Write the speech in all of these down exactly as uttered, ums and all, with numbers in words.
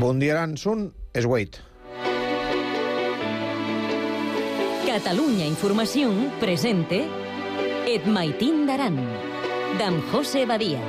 Bon dia, Aransun, és Wade. Catalunya Información presente Et Maitín d'Aran, d'en José Badia.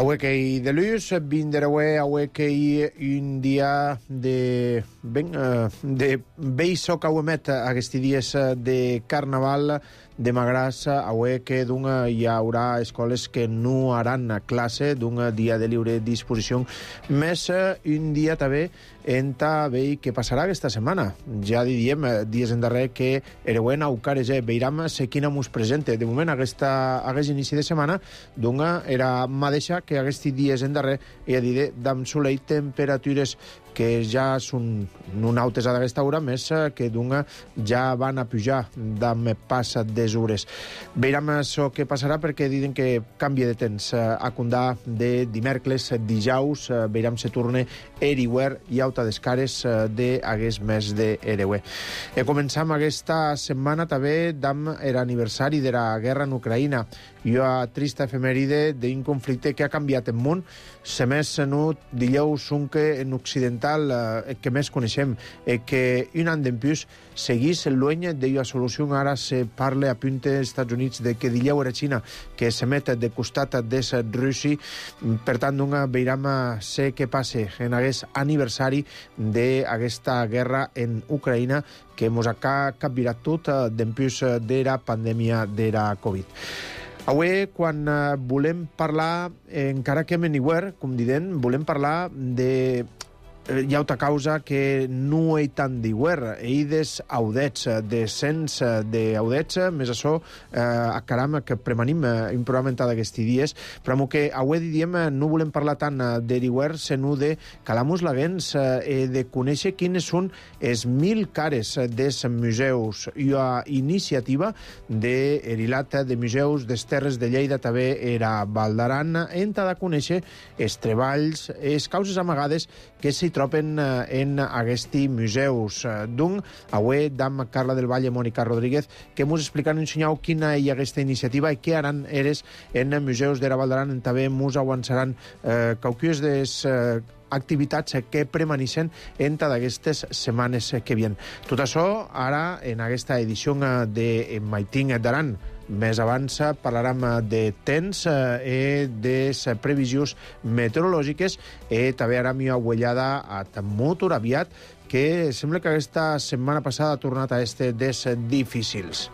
Auequei de luz, vinderaué auequei un dia de ben de beiso cauemet aquests dies de carnaval de Magràs, aueque d'un hi haurà escoles que no haran classe d'un dia de lliure disposició, més un dia també enta veig què passarà aquesta setmana. Ja diríem dies endarrer que Ereuent aucareger veiram se quina mos presente. De moment aquesta, aquest inici de setmana d'una era mateixa que aquests dies endarrer, i a dir d'am solei temperatures que ja són non altes a d'aquesta hora, més que d'una ja van a pujar d'am passa des hores. Veiram això que passarà perquè diuen que canvia de temps a condar de dimèrcles, dijaus, veiram se torne eriuer i auta des cares de hagués mes de Ereuer. E començam aquesta setmana també d'am l'aniversari de la guerra en Ucraïna i una trista efemèride d'un conflicte que ha canviat el món. Se més no dijous un que en occidental eh, que més coneixem eh, que un any d'empús seguís el lueny d'una solució. Ara se parla a punte als Estats Units de que dijous era Xina que se met de costat des Russi. Per tant, una veiram ser què passe en aquest aniversari d'aquesta guerra en Ucraïna que mos ha capvirat tot d'empús de la pandèmia de la Covid. Avui, quan uh, volem parlar, eh, encara que meniguer, com diden, volem parlar de eh, hi ha altra causa que no hi tant d'iguer, eides audets, de cents d'audets, més això, eh, a caram, que premanim eh, un programa d'aquests dies, però amb que avui diríem no volem parlar tant de d'iguer, sinó de calar-nos laguens eh, de conèixer quines són els mil cares dels museus i a iniciativa d'Erilat de Museus des Terres de Lleida també era Val d'Aran, en de conèixer els treballs, les causes amagades que s'hi troben en aquests museus. Doncs, avui, d'am Carla del Valle, Mònica Rodríguez, que mos explican un senyal quina hi ha aquesta iniciativa i què haran eres en museus de la Val d'Aran. També mos avançaran eh, qualques des eh, activitats que premaneixen entre d'aquestes setmanes que vien. Tot això ara en aquesta edició de Maitín d'Aran. Més abans parlarem de temps i de previsions meteorològiques i també haram una uellada a molt aviat que sembla que aquesta setmana passada ha tornat a este des difícils.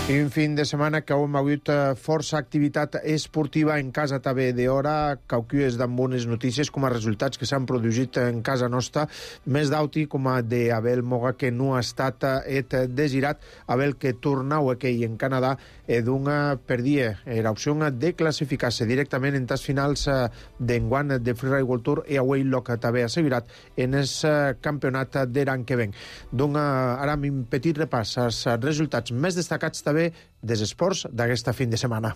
I un fin de setmana que hem hagut força activitat esportiva en casa també d'hora, qualques d'en bones notícies com a resultats que s'han produït en casa nostra, més d'auti com a d'Abel Moga que no ha estat et desirat, Abel que tornau aquí en Canadà e d'una perdia l'opció de classificar-se directament en tas finals d'enguany de Freeride World Tour i avui el que també ha assegurat en el campionat de l'any que ven. Donc ara un petit repàs als resultats més destacats també dels esports d'aquesta fin de setmana.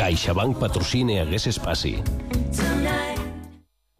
CaixaBank patrocina aquest espaci.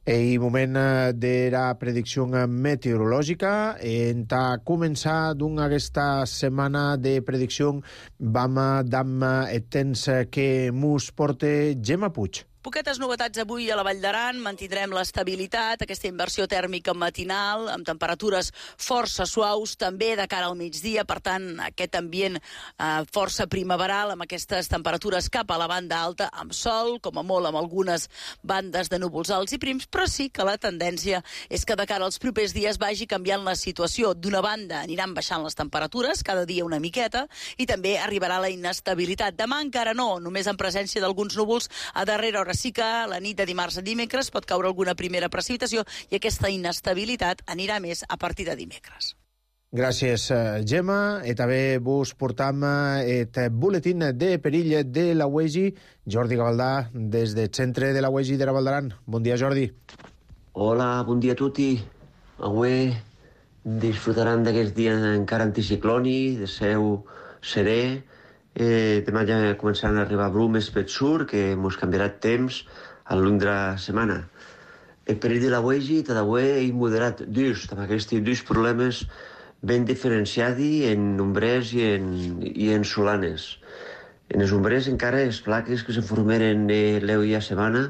I moment de la predicció meteorològica. En ta començar d'una aquesta setmana de predicció vam d'am el temps que mos porta Gemma Puig. Poquetes novetats avui a la Vall d'Aran, mantindrem l'estabilitat, aquesta inversió tèrmica matinal, amb temperatures força suaus, també de cara al migdia, per tant, aquest ambient eh, força primaveral, amb aquestes temperatures cap a la banda alta, amb sol, com a molt amb algunes bandes de núvols alts i prims, però sí que la tendència és que de cara als propers dies vagi canviant la situació. D'una banda, aniran baixant les temperatures, cada dia una miqueta, i també arribarà la inestabilitat. Demà encara no, només en presència d'alguns núvols a darrera hora. Sí que la nit de dimarts a dimecres pot caure alguna primera precipitació i aquesta inestabilitat anirà més a partir de dimecres. Gràcies, Gemma. I també vos portam el boletín de perill de la U E G I. Jordi Gavaldà, des del centre de la U E G I de la Val d'Aran. Bon dia, Jordi. Hola, bon dia a tutti. Avui disfrutaran d'aquest dia encara anticicloni, de seu serè. Eh, demà ja començaran a arribar brumes pel sud, que ens canviarà el temps al llarg de la setmana. El perill de la U E G I també és moderat dus, amb aquests dos problemes ben diferenciats en ombrers i en, i en solanes. En els ombrers encara les plaques que se formeren l'eu i a setmana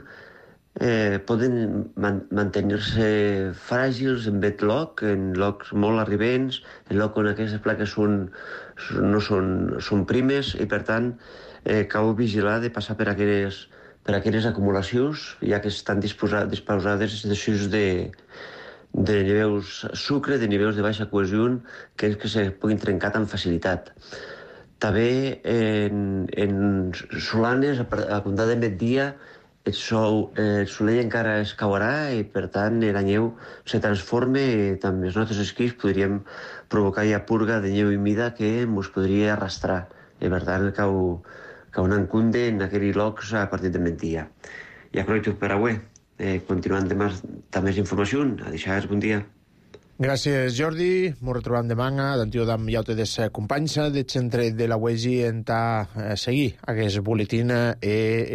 eh, poden man mantenir-se fràgils en bet loc, en locs molt arribents, en loc on aquestes plaques són, no són, són primes i per tant eh, cal vigilar de passar per aquelles, per aquelles acumulacions, ja que estan disposades, disposades de, de nivells sucre, de nivells de baixa cohesió, que és que se puguin trencar amb facilitat. També en, en solanes, a comptar de migdia, el, sol, el solell encara es caurà i, per tant, la neu se transforma i també els nostres esquís podríem provocar ja purga de neu humida que ens podria arrastrar. I, per tant, cau, cau un encunde en aquells llocs a partir de migdia. I aprovecho per avui. Eh, continuant demà amb més informació. Adéu, bon dia. Gràcies, Jordi. Ens retrobam demà d'antiu d'am iaute des companys del centre de la U E G I en ta eh, seguir aquest boletín e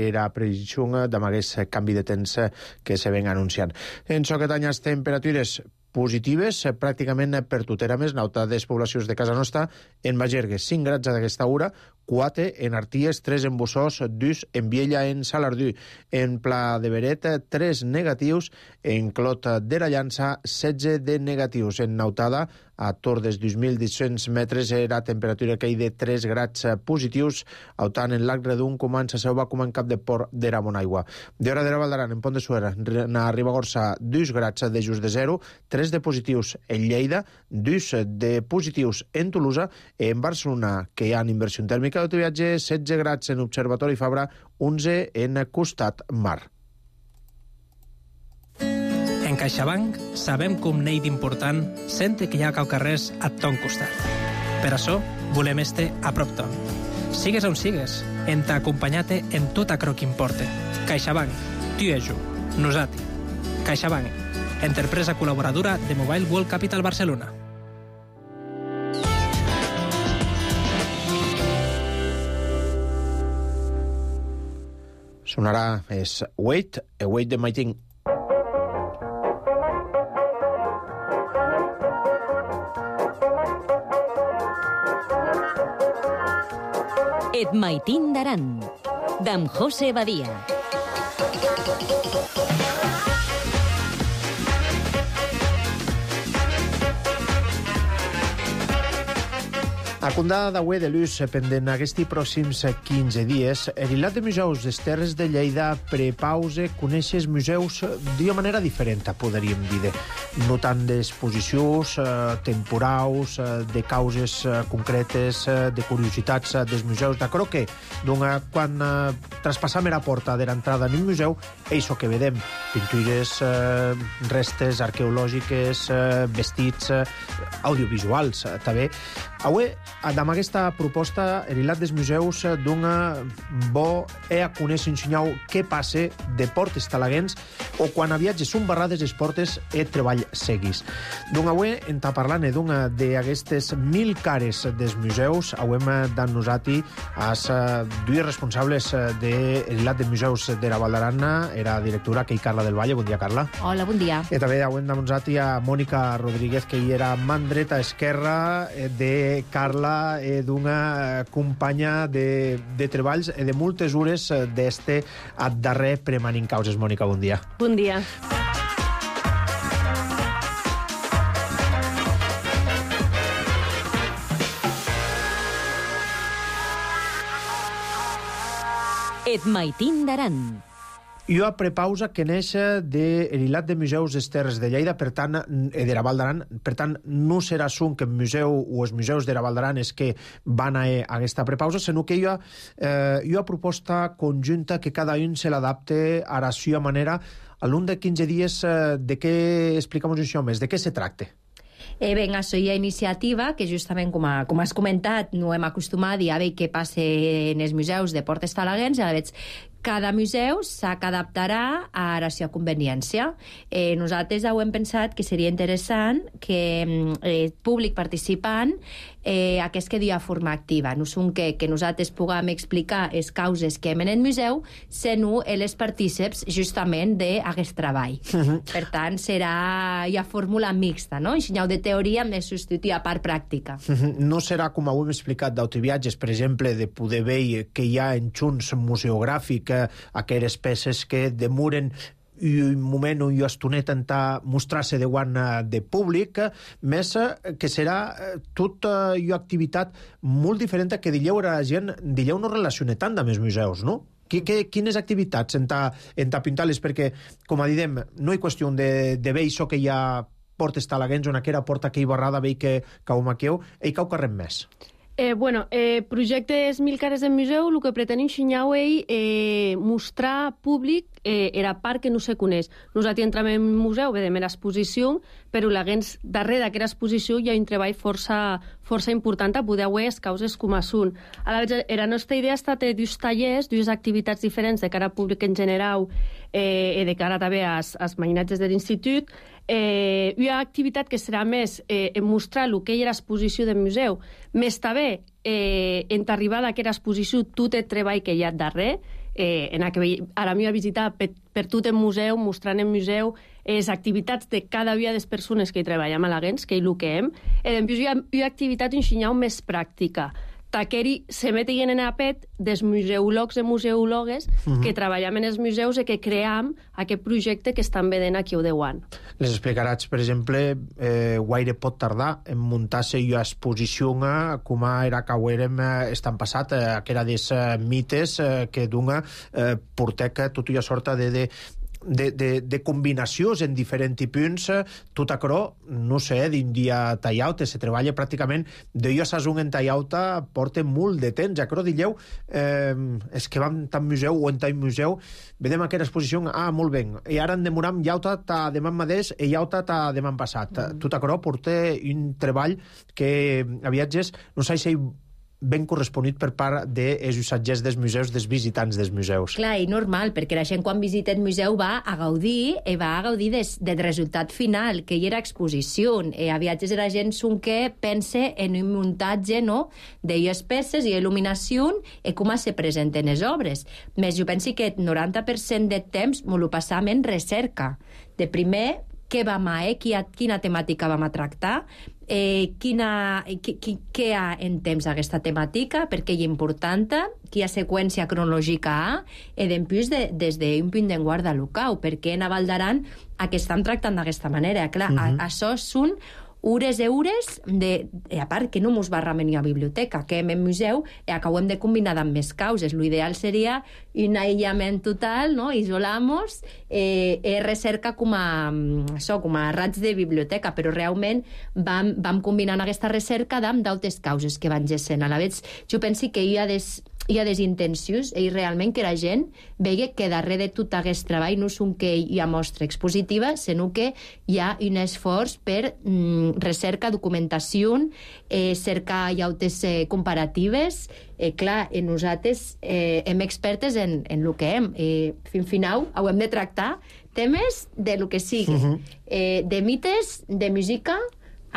era previsió d'am aquest canvi de temps que se ven anunciant. En so que tanyes temperatures positives, pràcticament per tot era més, nauta des poblacions de casa nostra, en Bagergue, cinc grads d'aquesta hora, quatre en Arties, tres en Bossós, dos en Viella, en Salardú, en Pla de Beret, tres negatius, en Clot de la Llança, setze de negatius, en Nautada, a Tordes, dos mil vuit-cents metres, era temperatura que hi de tres grads positius, autant en Lac Redun, com en Saseu, com en Cap de Port de Ramonaigua. De hora de la Val d'Aran, en Pont de Suera, a Ribagorça, dos grads de just de zero, tres de positius en Lleida, dos de positius en Tolosa, en Barcelona, que hi ha inversió tèrmica d'autoviatge, setze grads en Observatori Fabra, onze en Costat Mar. En CaixaBank sabem que un neit important sente que hi ha cau carrers a ton costat. Per això volem este a prop ton. Sigues on sigues, en t'acompanyate en tot acro que importe. CaixaBank, tu i jo, nosati. CaixaBank, empresa col·laboradora de Mobile World Capital Barcelona. Sonarà és Wait, Await the Mighty. Et Maitín d'Aran, d'en José Badia. A condada d'Aué de Luz, pendent aquests pròxims quinze dies, l'Ilat de Museus des Terres de Lleida prepause conèixer els museus d'una manera diferent, podríem dir, no tant d'exposicions eh, temporals, eh, de causes eh, concretes, eh, de curiositats eh, dels museus. D'acord que doncs, quan eh, traspassam la porta de l'entrada en un museu, això que vedem, pintures, eh, restes arqueològiques, eh, vestits, eh, audiovisuals, eh, també. Avui, amb aquesta proposta, l'Ilat dels Museus dona bo e a conèixer ensenyar què passa de portes talaguens o quan a viatges són barrades les portes e treball seguis. Doncs avui en ta parlant d'aquestes mil cares dels museus, avui hem dan nosati als dues responsables de l'Ilat dels Museus de la Val d'Aran, era directora que hi Carla del Valle. Bon dia, Carla. Hola, bon dia. I també avui hem dan nosati a Mònica Rodríguez, que hi era man dreta esquerra de Carla parla eh, d'una companya de, de treballs eh, de moltes hores eh, d'este a darrer Premanin Causes. Mònica, bon dia. Bon dia. Et maitin d'aran. Jo a prepausa que neix de l'Hilat de Museus des Terres de Lleida, per tant, eh, de la Val d'Aran, per tant, no serà sun que el museu o els museus de la Val d'Aran és que van a, a aquesta prepausa, sinó que jo, eh, jo a proposta conjunta que cada un se l'adapte a la seva manera. A l'un de quinze dies, eh, de què explicamos això més? De què se tracta? Eh, ben, això hi ha iniciativa que justament, com, a, com has comentat, no hem acostumat a veure què passa en els museus de Portes Talaguens, a veure, cada museu s'ha d'adaptarà a la seva conveniència. Eh, nosaltres ho hem pensat que seria interessant que eh, públic participant eh, aquest que dia forma activa. No són que, que nosaltres puguem explicar les causes que hem en el museu, sinó els partíceps justament d'aquest treball. Uh-huh. Per tant, serà ja fórmula mixta, no? Ensenyau de teoria amb substituir a part pràctica. Uh-huh. No serà, com ho hem explicat, d'autoviatges, per exemple, de poder veure que hi ha en junts museogràfic aquelles peces que demoren un moment o una estoneta en mostrar-se davant de públic, més que serà tota una activitat molt diferent que dileu a la gent, dileu no relaciona tant amb els museus, no? Que, que, quines activitats en ta, en ta pintar-les? Perquè, com a didem, no hi qüestió de, de veure això que hi ha Portes Talaguens, on aquella porta que hi barrada veig que cau maqueu, i cau carrem més. Eh, bueno, eh, projectes Mil cares del museu, el que pretén ensenyar és eh, mostrar públic eh, era part que no se coneix. Nosaltres entrem en un museu, vedem l'exposició, però laguens darrere d'aquesta exposició hi ha un treball força, força important a poder veure les causes com a són. A la vegada, la nostra idea ha estat de dos tallers, dues activitats diferents de cara al públic en general eh, i de cara també als, als mainatges de l'institut. Eh, una activitat que serà més eh, en mostrar el que hi ha l'exposició del museu, més també eh, en arribar a aquesta exposició tot el treball que hi ha darrere, eh, en que a la meva visita per, per tot el museu, mostrant el museu les activitats de cada dia de les persones que hi treballen a Laguens, que és el que hem, i després hi ha una activitat ensenyar més pràctica. Taqueri se meten en apet dels museòlegs i museòlogues uh-huh. que treballem en els museus i que cream aquest projecte que estan vedent aquí a Deuant. Les explicaràs, per exemple, eh, guaire pot tardar en muntar-se una exposició com era que ho érem estan passat, eh, que era des eh, mites eh, que d'una eh, porteca tota una sorta de... de De, de, de combinacions en diferents punts, tot acrò, no sé, d'un dia tallauta, se treballa pràcticament de jo a un en tallauta porta molt de temps, acrò dilleu eh, és que vam tan museu o en tan museu, vedem aquesta exposició, ah, molt bé, i ara en demoram llauta ta demà mateix i llauta ta demà passat. Mm. Tot acrò porta un treball que a viatges, no sé si ben corresponit per part dels usatgers dels museus, dels visitants dels museus. Clar, i normal, perquè la gent quan visita el museu va a gaudir i va a gaudir des, del resultat final, que hi era exposició. I a viatges la gent són que pense en un muntatge, no?, d'elles peces i il·luminació i com se presenten les obres. Més jo penso que el noranta per cent de temps me lo passam en recerca. De primer, què vam a, eh? Quina temàtica vam a tractar, eh, quina, què hi ha en temps aquesta temàtica, perquè és important, quina seqüència cronològica hi ha, i després de, des d'un punt de guarda local, perquè en Val d'Aran que estan tractant d'aquesta manera. Clar, uh-huh. a, això són hores i hores, de, a part que no mos barramen a biblioteca, que hem en museu, i acabem de combinar amb més causes. L'ideal seria un aïllament total, no?, isolamos, eh, eh, recerca com a, això, com a rats de biblioteca, però realment vam, vam combinant aquesta recerca amb d'altres causes que van gessent. A la vegada, jo penso que hi ha des... hi ha des intencions i realment que la gent vegi que darrere de tot aquest treball no és un que hi ha mostra expositiva, sinó que hi ha un esforç per mm, recerca, documentació, eh, cercar llautes eh, comparatives. Eh, clar, eh, nosaltres eh, hem expertes en, en el que hem. Eh, fin final, ho hem de tractar temes de lo que sigui. Uh-huh. eh, de mites, de música.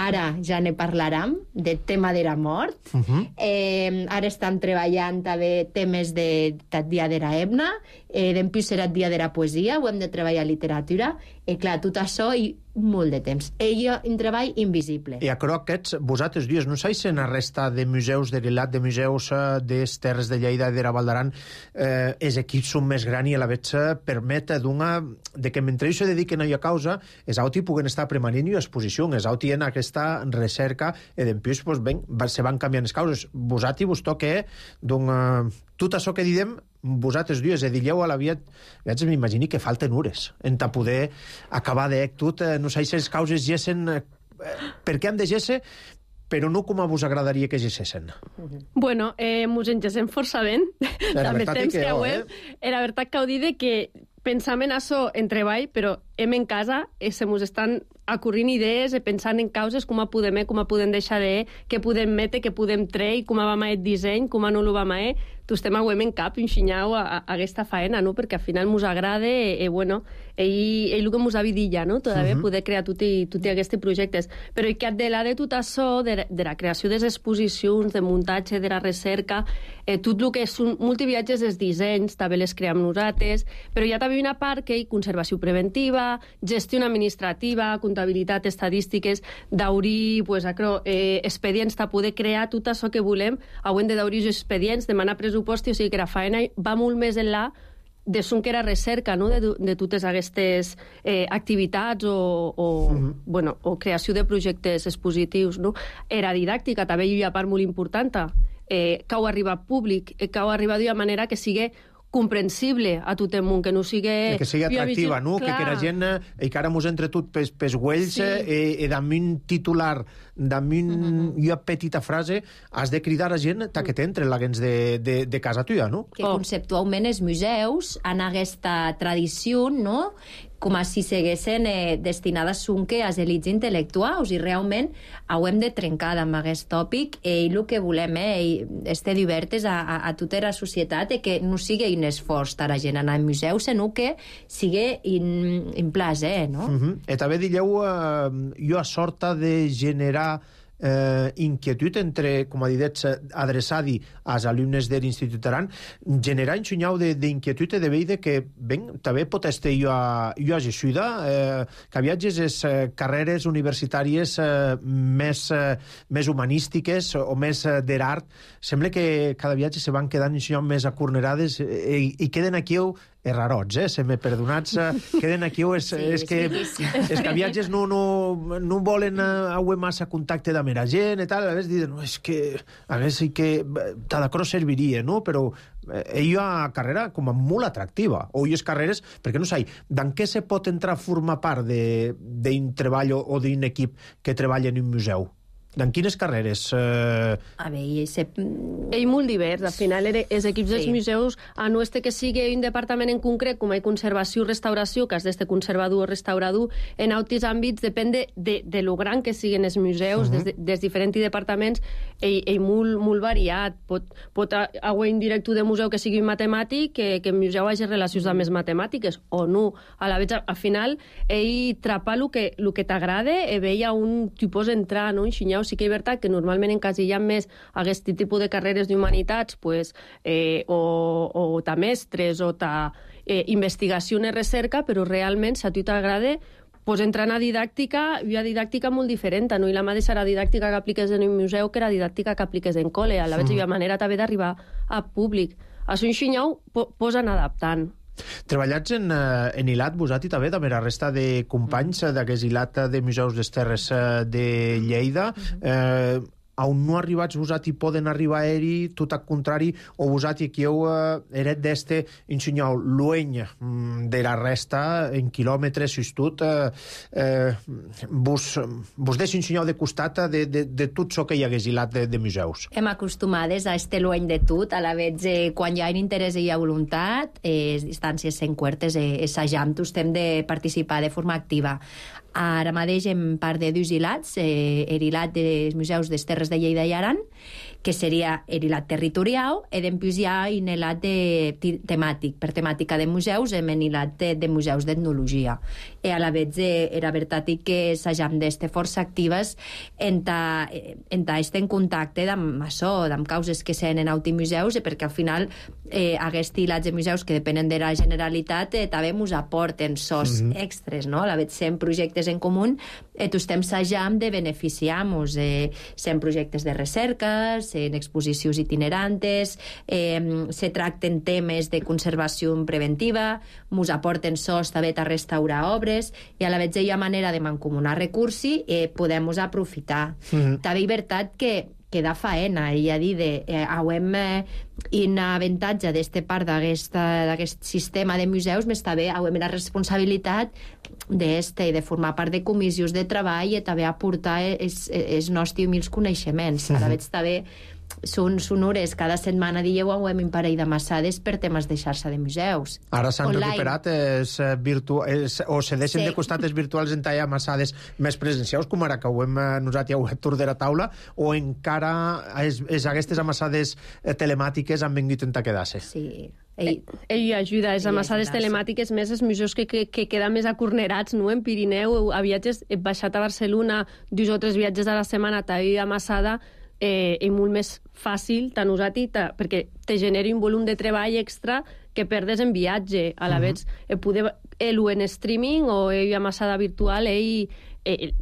Ara ja ne parlarem, del tema de la mort. Uh-huh. Eh, ara estem treballant també temes de, de dia de la hemna, eh, d'empús serà el dia de la poesia, ho hem de treballar literatura, i clar, tot això i molt de temps. Ella un treball invisible. I aquerò aquests, vosaltres dius, no sais en la resta de museus de Rilat, de museus eh, des Terres de Lleida i de la Val d'Aran, eh, els equips són més grans i a la vegada se permet d'una... de que mentre ells se dediquen a una causa, els auti puguen estar premanent i exposició, els auti en aquesta recerca, i d'empius, pues, ben, se van canviant les causes. Vosaltres vos toca, doncs, eh, tot això que diem, vosaltres dius, edilleu a la via... Llavors m'imagini que falten hores en ta poder acabar d'ec tot, eh, no sé si les causes gessen eh, per què han de gesser, però no com a vos agradaria que gessessin. Bueno, eh, mos engessem força ben. La veritat temps que, que oh, eh? Era veritat que ho dit que pensam en això en treball, però hem en casa i se mos estan acorrint idees i pensant en causes, com a podem, com a podem deixar de, què podem metre, què podem treure, com a va el disseny, com a no lo va mai. Tu estem a en cap, enxinyau a, a, a aquesta faena, no? Perquè al final mos agrada i, i bueno, ell, ell el que mos ha dit ja, no? Todavía uh -huh. poder crear tots tot aquests projectes. Però i que de la de tot això, de, de la creació de les exposicions, de muntatge, de la recerca, eh, tot el que són multiviatges, els dissenys, també les cream nosaltres, però hi ha també una part que hi conservació preventiva, gestió administrativa, comptabilitat, estadístiques, d'obrir, pues, acro, eh, expedients, de poder crear tot això que volem, haurem de d'obrir expedients, demanar pressupost, o sigui que la faena va molt més enllà de son que era recerca, no? de, de totes aquestes eh, activitats o, o, uh -huh. bueno, o creació de projectes expositius. No? Era didàctica, també hi ha una part molt important, eh, que ho arriba al públic, eh, que ho arriba d'una manera que sigui comprensible a tot el món, que no sigui... Que sigui atractiva, no? Que, que la gent, i que ara mos entre tot pels, pels güells, sí. eh, i damunt un titular, damunt uh -huh. una petita frase, has de cridar a gent ta que t'entre la gens de, de, de casa tuya, no? Que oh. conceptualment els museus han aquesta tradició, no?, com a si seguessin eh, destinades sonque als elits intel·lectuals, i realment ho hem de trencar amb aquest tòpic, i el que volem eh, estar divertes a, a, a tota la societat, i que no sigui un esforç a la gent anar al museu, sinó que sigui un, un plaer, no? Uh -huh. I també digueu, eh, jo a sorta de generar eh, inquietud entre, com a dit, adreçada als alumnes de l'Institut Aran, generar un xunyau d'inquietud de veure que, ben, també pot estar jo a, jo a Jessuda, eh, que viatges les eh, carreres universitàries eh, més, eh, més humanístiques o més eh, d'art, sembla que cada viatge se van quedant un xunyau més acornerades i, i queden aquí errarots, eh? Se m'he perdonats, eh? Queden aquí, és, sí, és, que, sí, sí. és que viatges no, no, no volen eh, massa contacte amb la gent i tal, a vegades diuen, no, és que a vegades sí que Tadacro serviria, no? Però eh, hi ha una carrera com a molt atractiva, o hi ha carreres, perquè no sé, d'en què se pot entrar a formar part d'un treball o, o d'un equip que treballa en un museu? En quines carreres? Eh... A veure, se... ell molt divers. Al final, els equips sí. dels museus, a no este que sigui un departament en concret, com hi conservació o restauració, que has d'este conservador o restaurador, en altres àmbits, depèn de, de, de lo gran que siguin els museus, uh -huh. des, des diferents departaments, ell, ell molt, molt variat. Pot, pot haver un director de museu que sigui un matemàtic, que, que el museu hagi relacions amb les matemàtiques, o no. A la vegada, al final, ell trapa el que, lo que t'agrada i veia un tipus entrar, no? Enxinyar. Sí que és veritat que normalment encasillant més aquest tipus de carreres d'humanitats, pues, eh, o, o ta mestres o ta eh, investigació i recerca, però realment, si a tu t'agrada, pues, entrar a didàctica, hi ha didàctica molt diferent, no? I la mateixa la didàctica que apliques en un museu que la didàctica que apliques en col·le. A la vegada hi ha manera també d'arribar al públic. A un xinyau po posen adaptant. Treballats en, en Ilat, vosaltres també, també la resta de companys d'aquest Ilat de Museus des Terres de Lleida, eh, on no arribats vosaltres poden arribar a eri, tot al contrari, o vosaltres que heu eh, eret d'este ensenyau lueny de la resta en quilòmetres, si tot, eh, eh, vos, vos deixo ensenyau de costat de, de, de tot això que hi hagués Ilat de, de museus. Hem acostumades a este lueny de tot, a la vegada eh, quan hi ha interès i hi ha voluntat, eh, les distàncies en quartes, eh, assajam, tots hem de participar de forma activa. Ara mateix en part de dos ilats, eh, l'Ilat dels Museus des Terres de Lleida i Aran, que seria l'Ilat territorial, i després hi ha un ilat de, temàtic, per temàtica de museus, en l'Ilat de, de museus d'etnologia. I a la vegada era veritat que s'hagam d'estar força actives en ta, en ta estar en contacte amb això, amb causes que senen en autimuseus, perquè al final eh, aquests ilats de museus que depenen de la Generalitat eh, també ens aporten sos mm -hmm. extres, no? A la vegada en projectes projectes en comú, e tu estem sajam de beneficiar-nos, eh, en projectes de recerca, en exposicions itinerantes, eh, se tracten temes de conservació preventiva, mos aporten sos també a restaurar obres, i a la vegada hi ha manera de mancomunar recursos i eh, podem aprofitar. Mm-hmm. També és veritat que que da faena, i a dir, de, eh, auem eh, un avantatge d'este part d'aquest sistema de museus, més també auem la responsabilitat d'este i de formar part de comissions de treball i també aportar els nostres humils coneixements. Ara veig també són sonores, cada setmana dieu auem un parell de massades per temes de xarxa de museus. Ara s'han recuperat es, virtu es, o se deixen sí. de costat els virtuals en tallar massades més presencials, com ara que ho hem nosaltres ja a tour de la taula, o encara es, es, aquestes amassades telemàtiques han vingut a quedar-se? Sí. Ell, ell ajuda, les amassades telemàtiques, més els museus que, que, que queden més acornerats, no? En Pirineu, a viatges, he baixat a Barcelona dos o tres viatges a la setmana, t'he amassada, eh, és molt més fàcil, tant usat, perquè te genera un volum de treball extra que perdes en viatge. A la uh -huh. vegada, eh, poder, ell en streaming o ell amassada virtual, ell eh,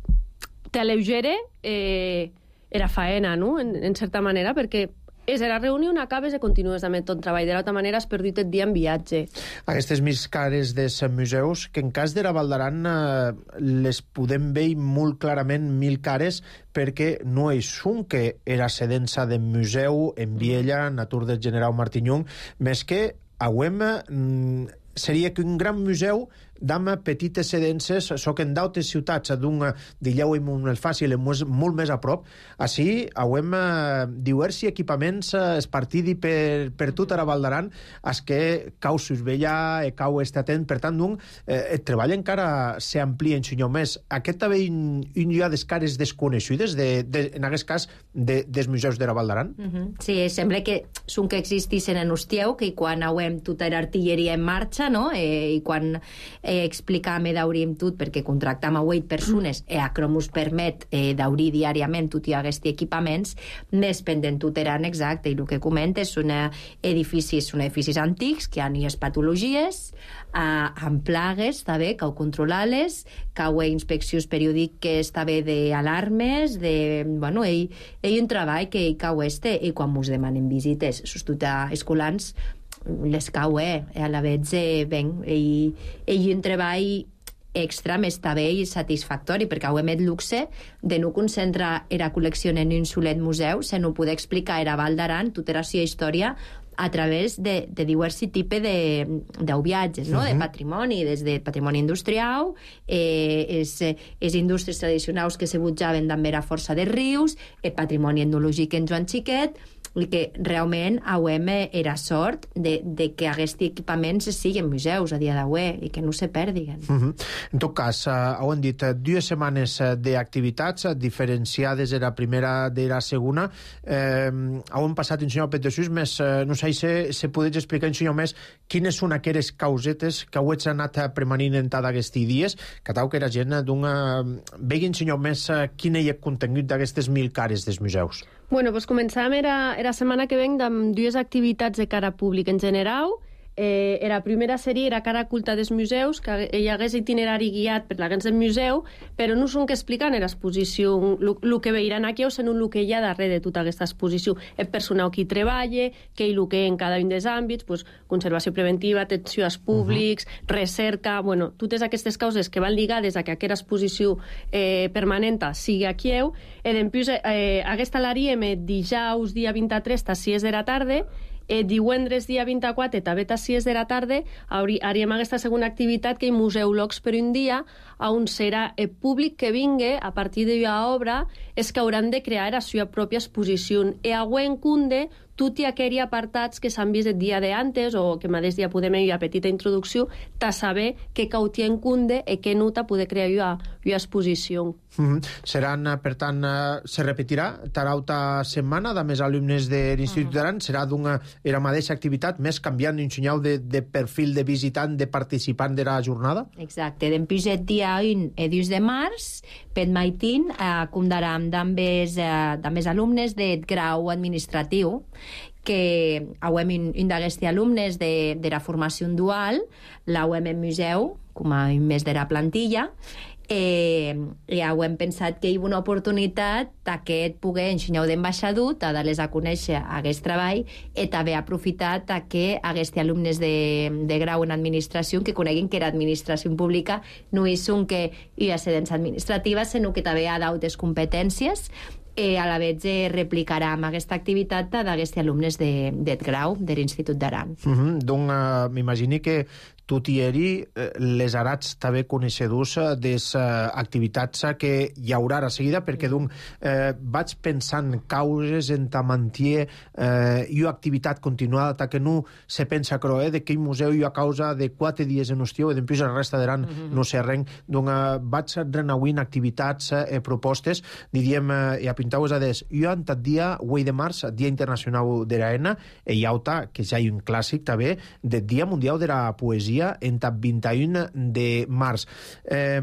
t'aleugera eh, era faena, no? En, en certa manera, perquè és la reunió, acabes i continues amb ton treball. De l'altra manera has perdut el dia en viatge. Aquestes més cares dels museus, que en cas de la Val d'Aran eh, les podem veure molt clarament mil cares, perquè no és un que era sedença de museu en Viella, Natur del General Martinyung, més que auem mm, seria que un gran museu d'ama petites sedences, soc en d'altres ciutats d'un d'Illeu i Montfàcil molt més a prop. Així auem eh, diversos equipaments eh, espartidi per, per tota la Val d'Aran, es que cau Susvella, e cau estar atent, per tant, un, eh, el treball encara s'amplia en senyor més. Aquest també un, un hi ha des cares desconegudes, de, de, en aquest cas, de, dels museus de la Val d'Aran. Uh -huh. Sí, sembla que són que existissin en Ustieu, que quan auem tota l'artilleria en marxa, no? Eh, i quan eh, explicar-me d'aurir tot, perquè contractam a vuit persones i a Cromus permet eh, d'aurir diàriament tot i aquests equipaments, més pendent tot eren exacte, i el que comentes són edificis, són edificis antics que han hi patologies, eh, amb plagues, també, que ho controlar-les, que ho inspeccions periòdiques també d'alarmes, de, bueno, ell, ell un treball que ell cau este, i quan mos demanen visites, sobretot a escolans, les cau, eh? A la vegada, eh, ben, ell, ell un treball extra més també i satisfactori, perquè ho hem el luxe de no concentrar la col·lecció en un solet museu, se no poder explicar a Val d'Aran tota la seva història a través de, de diversos tipus de, de viatges, no? Uh -huh. De patrimoni, des de patrimoni industrial, eh, és, és indústries tradicionals que se butjaven també a força de rius, el patrimoni etnològic en Joan Xiquet, i que realment auem era sort de, de que aquests equipaments siguin museus a dia d'avui i que no se perdiguen. Uh -huh. En tot cas, uh, ho hem dit, dues setmanes d'activitats diferenciades de la primera de la segona. Eh, ho hem passat, en senyor Petesús, més, uh, no sé si se podeu explicar, en senyor, més quines són aquelles causetes que heu anat premanint en tots aquests dies, que tal que la gent d'una... Vegui, senyor, més uh, quin és el contingut d'aquestes mil cares dels museus. Bueno, doncs començàvem era, era setmana que venc amb dues activitats de cara públic en general. Eh, la primera sèrie era cara culta dels museus, que hi hagués itinerari guiat per la gens del museu, però no són que expliquen en l'exposició el que veiran aquí, o sinó el que hi ha darrere de tota aquesta exposició. El personal que hi treballa, que hi el que en cada un dels àmbits, pues, conservació preventiva, atenció als públics, uh -huh. recerca, bueno, totes aquestes causes que van lligades a que aquesta exposició eh, permanent sigui aquí. I després, eh, aquesta l'haríem dijous, dia vint-i-tres, a sis de la tarda, Eh, divendres, dia vint-i-quatre, també a sis de la tarda, haríem aquesta segona activitat que hi museòlegs per un dia, on serà el públic que vingui a partir de la obra és que hauran de crear la seva pròpia exposició. I a Wenkunde, tots aquells apartats que s'han vist el dia d'antes o que mateix dia podem fer una petita introducció, ta saber què cautia en Kunde i què nota poder crear una exposició. Mm-hmm. Seran, per tant, se repetirà tarauta setmana de més alumnes de l'Institut d'Aran, uh -huh. serà d'una la mateixa activitat, més canviant un senyal de, de perfil de visitant, de participant de la jornada? Exacte, d'empús el dia un e dos de març, per maitín, eh, comptarem amb els alumnes del grau administratiu, que auem un, un d'aquests alumnes de, de la formació dual, l'auem en museu, com a un mes de la plantilla, Eh, ja ho hem pensat que hi ha una oportunitat que pugui ensenyar d'ambaixador, a dar-les a conèixer aquest treball i també aprofitat que aquests alumnes de, de grau en administració que coneguin que l'administració pública no és un que hi ha sedents administratives, sinó que també hi ha d'altres competències. Eh, a la vegada eh, replicarà amb aquesta activitat d'aquests alumnes de, de grau de l'Institut d'Aran. Uh -huh. Donc, uh, m'imagini que tu tieri eh, les arats també coneixedors de les eh, activitats que hi haurà a seguida, perquè donc, eh, vaig pensant causes en ta mantier eh, i activitat continuada, ta que no se pensa creu, eh, de que el museu hi ha causa de quatre dies en estiu i després la resta d'Aran uh -huh. no sé res. Donc, eh, vaig renauint activitats eh, propostes, diríem, eh, i a pintar-vos a des, jo en tot dia, vuit de març, Dia Internacional de l'Aena, i hi ha que ja hi ha un clàssic també, del Dia Mundial de la Poesia en el vint i un de març. Eh,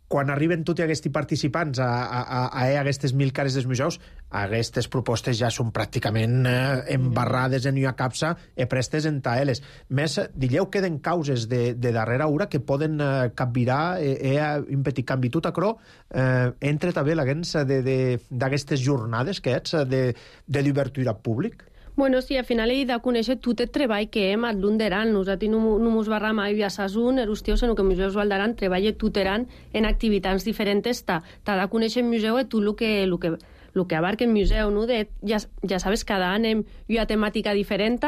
quan arriben tots aquests participants a, a, a, a aquestes mil cares dels museus, aquestes propostes ja són pràcticament eh, embarrades en una capsa i prestes en taeles. Més, dilleu, queden causes de, de darrera hora que poden eh, capvirar eh, eh, un petit canvi. Tu, Tacró, eh, entra també l'agens d'aquestes jornades que ets de, de l'obertura públic? Bueno, sí, al final he de conèixer tot el treball que hem a l'Underan. Nosaltres no, no mos barra mai a Sasun, Erustio, sinó que el Museu Valdaran treballa tot Eran en activitats diferents. T'ha de conèixer el museu i tot el que, el que, el que abarca el museu, no? De, ja, ja sabes, cada any hem una temàtica diferent.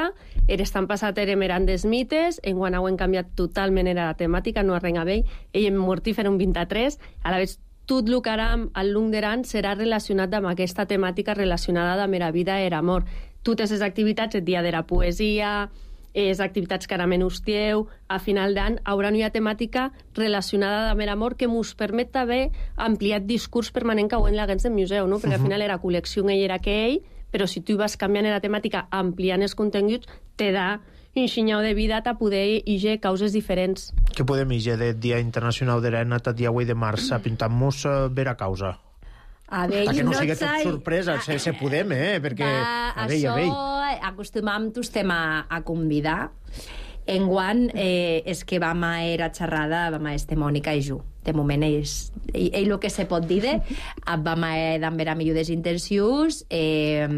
L'estan passat érem eren des mites, enguany hem canviat totalment era la temàtica, no arrenga bé. Ell em mortífer un vint-i-tres, a la vegada tot el que ara al l'Underan serà relacionat amb aquesta temàtica relacionada amb la vida i l'amor. Totes les activitats, el dia de la poesia, les activitats que ara menustieu, a final d'any haurà una temàtica relacionada amb l'amor que ens permet també ampliar el discurs permanent que ho en l'agents del museu, no? Perquè al final era col·lecció ell era que ell, però si tu vas canviant la temàtica, ampliant els continguts, te da un xinyau de vida a poder iger causes diferents. Què podem iger del Dia Internacional de l'Aena el dia vuit de març? Pintant-nos vera causa. A veure, que no sigui tot sorpresa, se, se podem, eh? Perquè, va, a veure, a veure. Això acostumam tostem a, a convidar. Enguany eh, és que vam a era xerrada, vam a este Mònica i jo. De moment és ell, ell el que se pot dir de vam a d'amber a millor des intencions eh,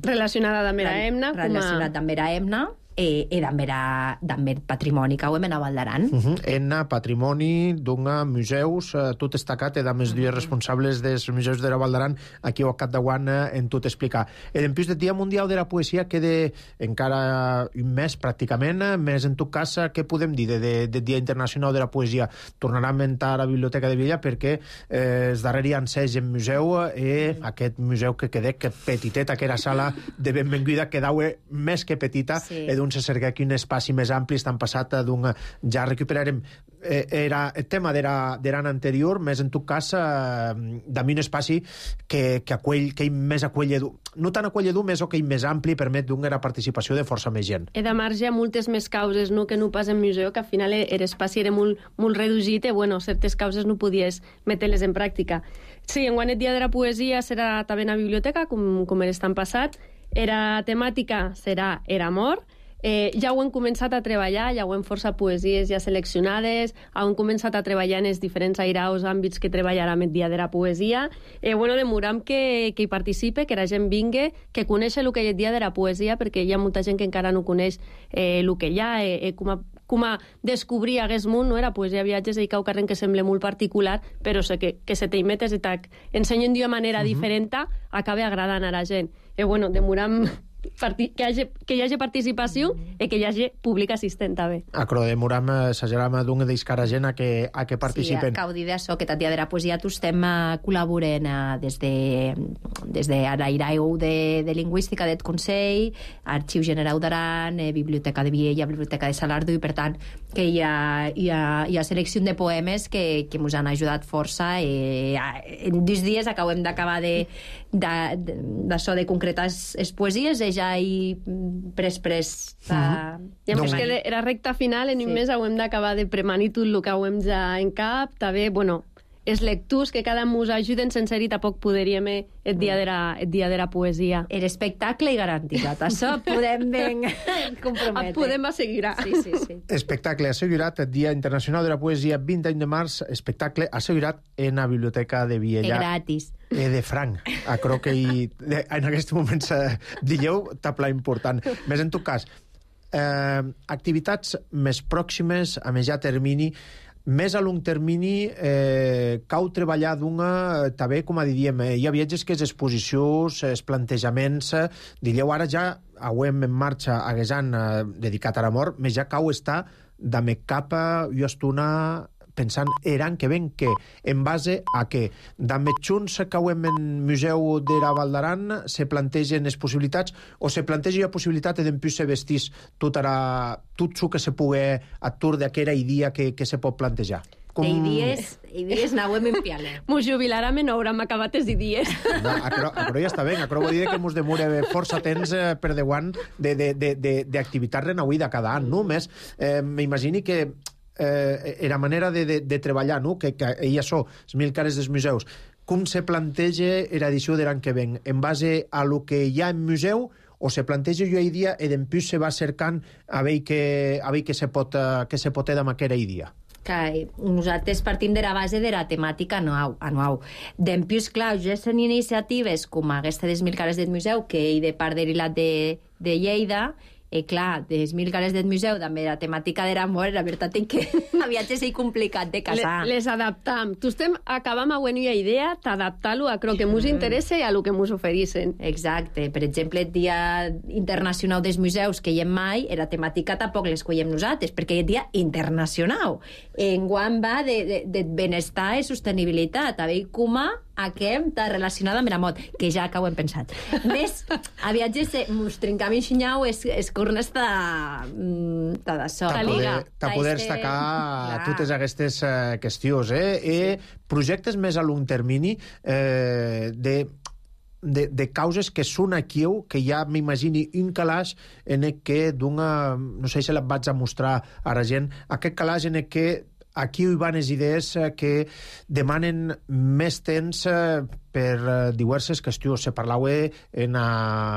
relacionada amb la Emna relacionada amb la Emna e, e d'amber patrimoni que ho hem a Valdaran. Uh -huh. Enna, patrimoni, d'una museus, eh, tot destacat, edam els dies responsables dels museus de la Valdaran, aquí al Cap de Guant eh, en tot explicar. I en plus del Dia Mundial de la Poesia queda encara un mes pràcticament, més en tot cas, què podem dir del de, de Dia Internacional de la Poesia? Tornarà a inventar a la Biblioteca de Villa perquè eh, els darrers hi enseig en museu i eh, aquest museu que queda que petitet, aquella sala de benvinguda quedau més que petita, sí. I se cerca aquí un espai més ampli, estan passat d'un... Ja recuperarem eh, era el tema d'era l'any anterior, més en tot cas eh, d'ami un espai que, que, aquell, que hi més acolledor, no tan acolledor, més o que hi més ampli, permet d'una participació de força més gent. He de marge a moltes més causes, no, que no pas en museu, que al final l'espai era molt, molt reduït i, bueno, certes causes no podies metre-les en pràctica. Sí, enguany el Dia de la Poesia serà també a la biblioteca, com, com estan passat. Era temàtica serà era amor. Eh, ja ho hem començat a treballar, ja ho hem força poesies ja seleccionades, hem començat a treballar en els diferents airaus àmbits que treballarà el Dia de la Poesia. Eh, bueno, demoram que, que hi participe, que la gent vingui, que coneixi el que és el Dia de la Poesia, perquè hi ha molta gent que encara no coneix eh, el que hi ha, eh, com a com a descobrir aquest món, no? Era poesia viatges i cau carrer que sembla molt particular, però sé que, que se te metes i t'ensenyen d'una manera uh-huh. diferent, acaba agradant a la gent. I bueno, demoram que hi hagi, que hi hagi participació mm. i que hi hagi públic assistent també. Acro demoram s'ageram d'un d'iscar gent a que, a que participen. Sí, cau dir d'això, que el Dia de la Poesia tu estem col·laborant des de, des de l'Airau de, de Lingüística del Consell, Arxiu General d'Aran, eh, Biblioteca de Viella, Biblioteca de Salardo, i per tant que hi ha, hi ha, hi ha selecció de poemes que, que ens han ajudat força i en dos dies acabem d'acabar de, de, de, d'això de concretar les poesies i ja hi pres pres uh, i a més que era recta final en un sí. mes ho hem d'acabar de premanir tot el que ho hem ja en cap també, bueno, els lectors que cada mus ajuden sense dir tampoc podríem el dia de la, el dia de la poesia. El espectacle i garantitzat. Això podem ben comprometre. Podem assegurar. Sí, sí, sí. Espectacle assegurat, el Dia Internacional de la Poesia, vint de març, espectacle assegurat en la Biblioteca de Vielha. És gratis. Eh, de franc. A crec que hi, en aquest moment digueu tapla important. Més en tot cas, eh, activitats més pròximes, a més ja termini, més a long termini, eh, cau treballar d'una, també, com a diríem, eh, hi ha viatges que és exposicions, els plantejaments, eh, diríeu, ara ja hauem en marxa hagués any eh, dedicat a l'amor, més ja cau està de cap a jo estona pensant eran que ven que, en base a que d'amet junts que hauem en Museu de la Val d'Aran se plantegen les possibilitats o se planteja la possibilitat d'en plus se vestís tot, ara, tot el que se pugui atur d'aquella idea que, que se pot plantejar. Com... Idees, idees n'hauem en piale. Mos jubilarem i no haurem acabat les idees. No, però, però ja està bé, però vol dir que mos demora força temps eh, per deuant d'activitats renauïda cada any, no? Més, eh, m'imagini que eh, era manera de, de, de treballar, no? Que, que hi ha això, els mil cares dels museus. Com se planteja l'edició de l'any que ven? En base a lo que hi ha en museu o se planteja jo idea i d'empús se va cercant a veure que, a veure que se pot, que se pot amb aquella idea? Que nosaltres partim de la base de la temàtica anual. anual. D'empús, clar, ja són iniciatives com aquesta dels mil cares del museu, que hi de part de l'Ilat de, de Lleida, i clar, des mil cares del museu, també la temàtica de l'amor, la veritat és que a viatges és complicat de casar. Le, les adaptam. Tu estem acabam a una idea d'adaptar-lo a lo que mos interessa i a lo que mos ofereixen. Exacte. Per exemple, el Dia Internacional dels Museus, que hi hem mai, la temàtica tampoc l'escollem nosaltres, perquè és Dia Internacional. Enguany va de, de, de benestar i sostenibilitat. A veure com aquest està relacionada amb la mot, que ja que ho hem pensat. Més, a viatges mos trencam en xinyau és, és cornes de d'això. De poder, de poder destacar clar. Totes aquestes uh, qüestions. Eh? Sí. I projectes més a long termini eh, de... De, de causes que són aquí, que ja m'imagini un calaix en el que d'una... No sé si la vaig a mostrar a la gent. Aquest calaix en el que aquí hi van les idees que demanen més temps per diverses qüestions. Se parlava en a,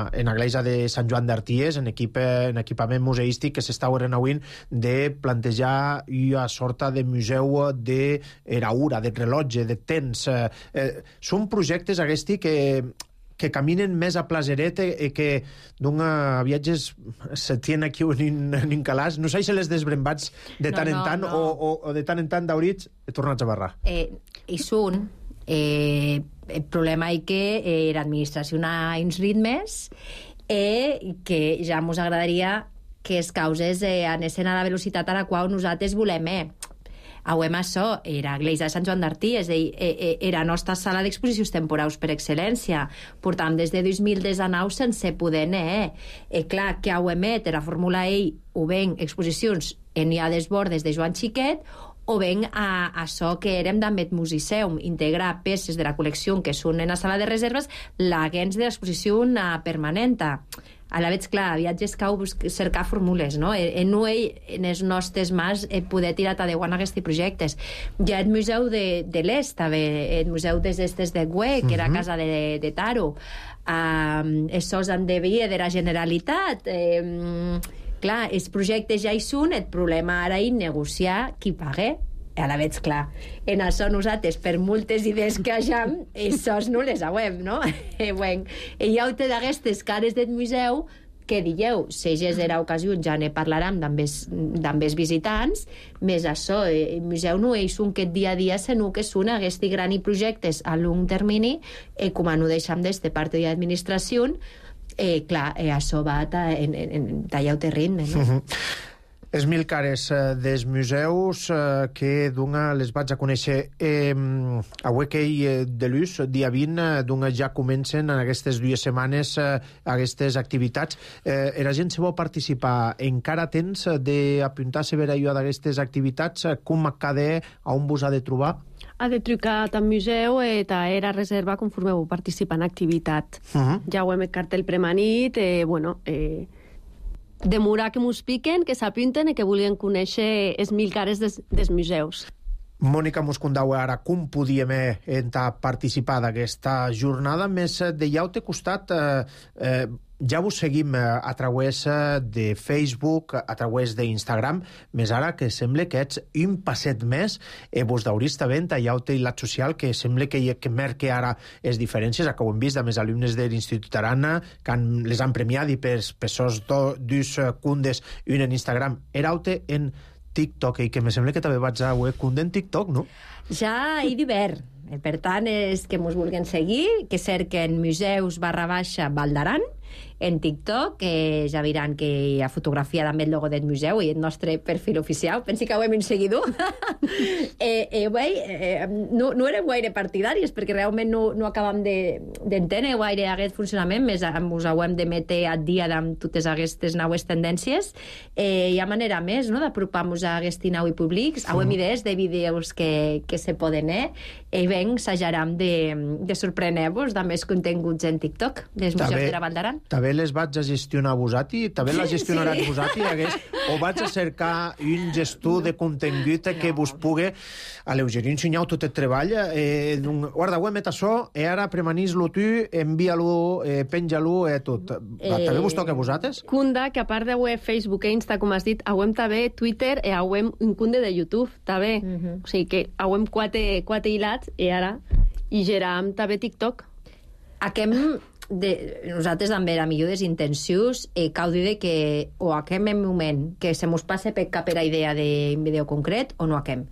en l'església de Sant Joan d'Arties, en, equip, en equipament museístic que s'estava renauint de plantejar una sorta de museu de era hora, de rellotge, de temps. Eh, són projectes aquests que que caminen més a Plaseret i que d'una viatges se tien aquí en un calaix. No sé si les desbrembats de tant no, no, en tant no. o, o, o de tant en tant d'aurits he tornat a barrar. Eh, I són. Eh, el problema és que eh, l'administració ha uns ritmes i que ja ens agradaria que les causes eh, anessin a la velocitat a la qual nosaltres volem. Eh. Auem això, era l'església de Sant Joan d'Artí, és a dir, era la nostra sala d'exposicions temporals per excel·lència. Portam des de dos mil dinou sense poder anar. Eh, clar, que auem et, la Fórmula E o ben exposicions en hi ha desbordes de Joan Xiquet, o ben a, a això que érem d'Ambet Musiceum, integrar peces de la col·lecció que són en la sala de reserves, l'agents de l'exposició permanenta. A la veig, clar, a viatges cau cercar fórmules, no? En no en els nostres mans poder tirar a deuant aquests projectes. Hi ha el Museu de, de l'Est, també, el Museu des d'Estes de Güé, que era casa de, de Taro. Um, això han de vir de la Generalitat. Um, clar, els projectes ja hi són, el problema ara és negociar qui paga. A la veig, clar, en això nosaltres, per moltes idees que hagam, això no les hauem, no? I bueno, hi ha una d'aquestes cares del museu que dieu, si és era ocasió, ja ne parlarem amb els visitants, més això, el museu no és un que dia a dia, sinó que són aquests grans projectes a long termini, i com no deixem d'este part de l'administració, eh, clar, eh, això va en, en, en tallar el ritme, no? Uh-huh. Els mil cares eh, dels museus eh, que d'una les vaig a conèixer eh, a Huequei de Luz, dia vint, eh, d'una ja comencen en aquestes dues setmanes eh, aquestes activitats. Eh, la gent se vol participar. Encara tens d'apuntar-se a veure d'aquestes activitats? Com cada a on vos ha de trobar? Ha de trucar al museu i era reserva conforme vau participar en activitat. Uh-huh. Ja ho hem el cartell premanit, eh, bueno... Eh, demorar que mos piquen, que s'apunten i que volien conèixer els mil cares des, dels museus. Mònica Moscondau, ara com podíem entrar a participar d'aquesta jornada, més de ja te costat, eh, eh, ja vos seguim a través de Facebook, a través d'Instagram, més ara que sembla que ets un passet més, eh, vos d'haurista vent a Yaute i l'at social, que sembla que, que merque ara les diferències, que ho hem vist amb els alumnes de l'Institut Arana, que han, les han premiat i per, per sos do, dus cundes un en Instagram. Era Yaute en TikTok, i que me sembla que també vaig a web cunde en TikTok, no? Ja hi divert. Per tant, és que mos vulguin seguir, que cerquen museus barra baixa Val d'Aran, en TikTok, que ja veuran que hi ha fotografia també el logo del museu i el nostre perfil oficial. Pensi que ho hem seguidor. eh, eh, bé, eh, no, no érem gaire partidaris, perquè realment no, no acabam d'entendre de, gaire aquest funcionament, més us ho hem de metre al dia amb totes aquestes noves tendències. Eh, hi ha manera més, no?, d'apropar-nos a aquests nous públics. Ho hem idees de vídeos que, que se poden, eh? I ben, s'ajaram de, de sorprener-vos de més continguts en TikTok dels museus de la Val d'Aran. També les vaig a gestionar vosati, també la gestionarà sí. vosati, hagués, o vaig a cercar un gestor de contingut que vos pugui alleugerir, ensenyar tot el treball. Eh, guarda, ho hem met això, i ara premanis-lo tu, envia-lo, eh, penja-lo, eh, tot. Eh, també vos toca a vosaltres? Cunda, que a part de web, Facebook e Insta, com has dit, hauem també Twitter i hauem un cunde de YouTube, també. Uh -huh. O sigui que hauem quatre, quatre hilats i ara i geram també TikTok. Aquem... De, nosaltres també a millor des intencions eh, cau dir que o aquem en moment que se mos passe per cap era idea d'un vídeo concret o no aquem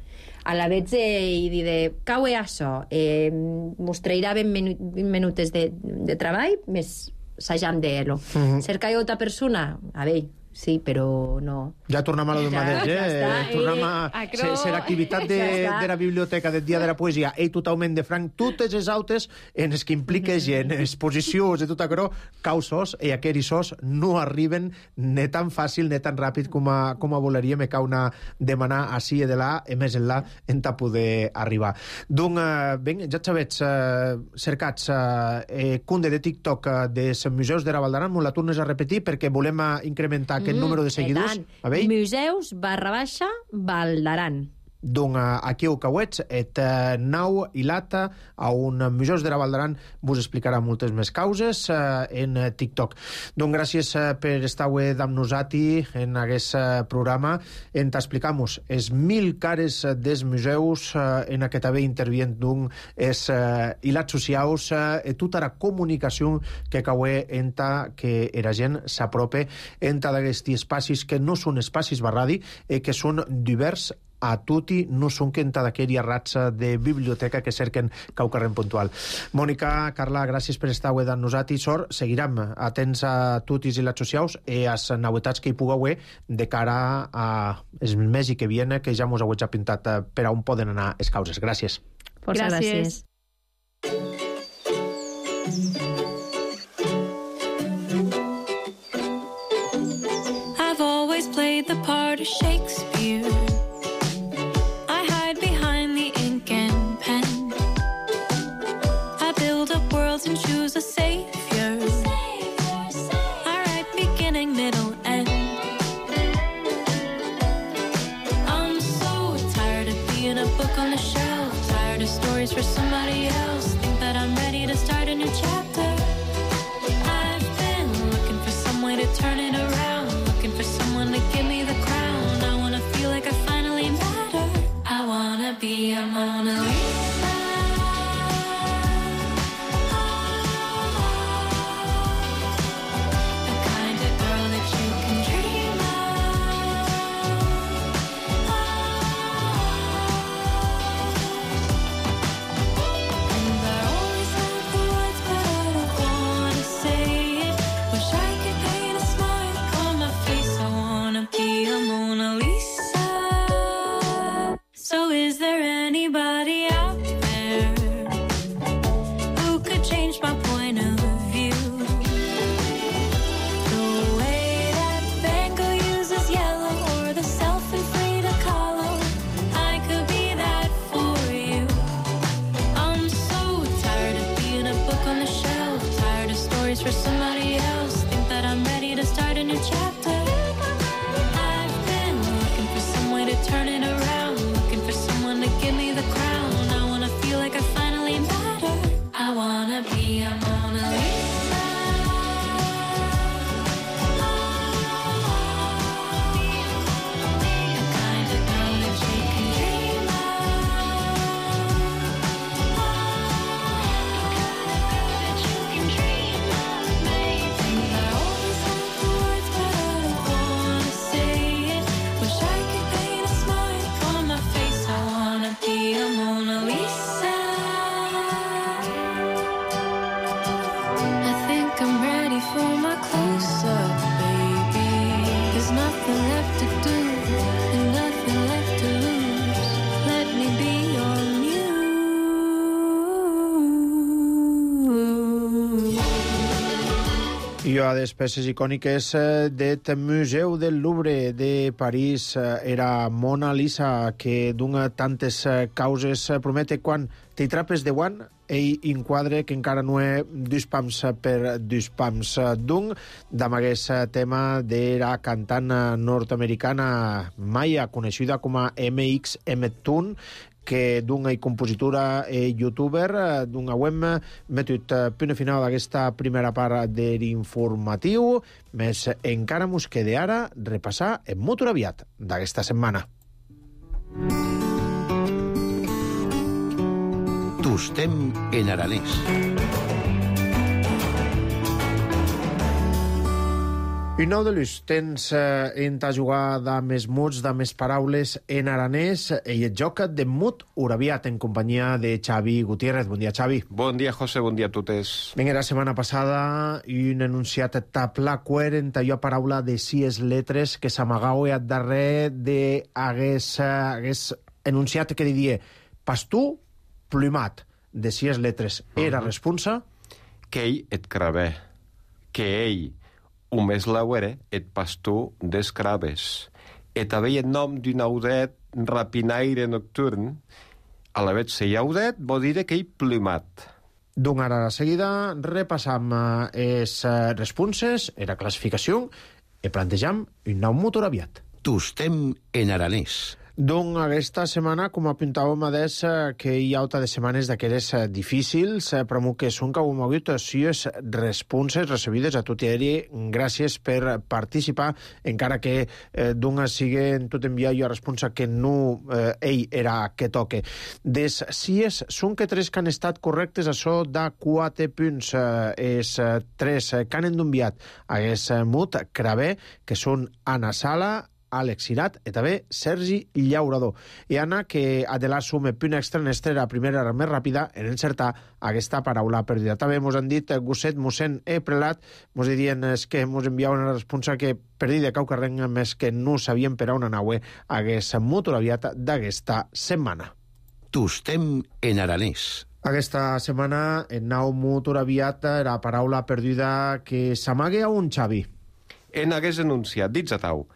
a la vez eh, i dir de cau és això eh, mos trairà vint minu minutes de, de treball més s'hajam d'ello uh -huh. cercar altra persona a veure sí, però no. Ja tornem a lo del mateix, eh? Ja tornem a... Eh, ser l'activitat de, de la biblioteca del Dia de la Poesia i totalment de franc, totes les autes en les que impliques en exposicions i tot això, causos, i aquests sos no arriben ni tan fàcil ni tan ràpid com a, com a volaríem, me cau una demanar així i de là, i més en là, en ta poder arribar. Donc, eh, ben, ja sabets, eh, cercats eh, cunde de TikTok eh, dels museus de la Val d'Aran, m'ho la tornes a repetir perquè volem incrementar aquest número de seguidors. A veure? Museus barra baixa Val d'Aran. Donc, aquí ho cauets, et uh, nau i lata a un museus de la Val d'Aran vos explicarà moltes més causes uh, en uh, TikTok. Donc, gràcies uh, per estar avui amb nosaltres en aquest uh, programa. En t'explicamos els mil cares uh, dels museus uh, en aquest haver intervient d'un els uh, hilats socials uh, i tota la comunicació que caué en ta que la gent s'aprope en ta d'aquests espacis que no són espacis barradi, eh, que són divers a tutti, no són que enta d'aquella ratxa de biblioteca que cerquen Caucarrem puntual. Mònica, Carla, gràcies per estar avui amb nosaltres. Sort, seguirem atents a tutis i les socials i a les novetats que hi puga avui de cara a el mes i que viene, que ja mos heu ja pintat per a on poden anar les causes. Gràcies. Força gràcies. I've always played the part of Shakespeare. And choose a savior. I write beginning, middle, end. I'm so tired of being a book on the shelf, tired of stories for somebody else. Think that I'm ready to start a new chapter. I've been looking for some way to turn it around, looking for someone to give me the crown. I wanna feel like I finally matter. I wanna be a Mona Lisa. For somebody else, think that I'm ready to start a new chapter. I've been looking for some way to turn it around, looking for someone to give me ready for my close-up, baby. There's nothing left to do and nothing left to lose. Let me be your muse. I a les peces icòniques eh, del Museu del Louvre de París eh, era Mona Lisa, que d'una tantes eh, causes eh, promete quan t'hi trapes de guant ell enquadre que encara no és dos pams per dos pams. D'un, d'amagués tema de la cantant nord-americana Maya, coneixida com a M X M Toon, que d'una i compositora i youtuber, d'una web metut punt final d'aquesta primera part de l'informatiu, més encara mos queda ara repassar en molt aviat d'aquesta setmana. Tostem en aranès. I nou de l'ús, tens eh, en ta jugada de més muts, de més paraules en aranès, i et joc de mut uraviat en companyia de Xavi Gutiérrez. Bon dia, Xavi. Bon dia, José, bon dia a totes. Vinga, la setmana passada un enunciat tapla coherent allò paraula de sis letres que s'amagau a darrer de hagués, hagués enunciat que diria pastú plumat de sis letres. Era uh-huh. responsa? Que ell et cravè. Que ell o més lauere et pastú d'escraves. Et havia el nom d'un audet rapinaire nocturn. A la vez se audet vol dir que ell plumat. Doncs ara a la seguida repassam les responses, la classificació, i plantejam un nou motor aviat. Tostem en aranès. Doncs aquesta setmana, com apuntàvem a des, que hi ha alta de setmanes d'aquelles difícils, però que són que hem hagut sis responses recebides a tot i aeri. Gràcies per participar, encara que eh, d'una sigui en tot enviar jo a responsa que no eh, ell era que toque. Des sis són que tres que han estat correctes, això de quatre punts. Eh, és tres que han enviat a és mut cravé, que són Anna Sala, Àlex Irat i també Sergi Llaurador. I Anna, que Adelà sume punt extra en estre la primera més ràpida en encertar aquesta paraula perduda. També mos han dit Gosset, mossèn e prelat, mos dirien que mos enviaven una responsa que perdida cau carreng més que no sabien per a una naue hagués molt aviat d'aquesta setmana. Tostem en aranès. Aquesta setmana en nau molt aviat la paraula perduda que s'amague a un Xavi. En hagués enunciat, dits a tau,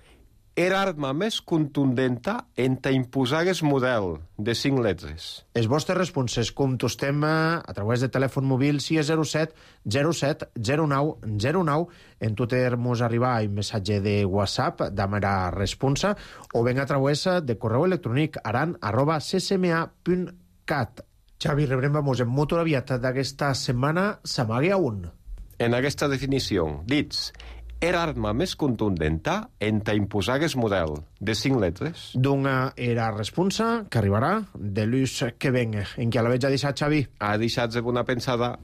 era arma més contundenta en ta imposagues model de cinc letres. Els vostres responses contestem a través de telèfon mòbil sis zero set zero set zero nou zero nou. En Twitter mos arriba un missatge de WhatsApp de mera responsa o ben a través de correu electrònic aran arroba c c m a punt cat. Xavi, rebrem-vos en molt aviat d'aquesta setmana. S'amague a un. En aquesta definició, dits, era arma més contundenta en ta imposagues model de cinc letres. D'una era responsa que arribarà de l'ús que venga. En què la veig a deixar, Xavi? Ha deixat de bona pensada.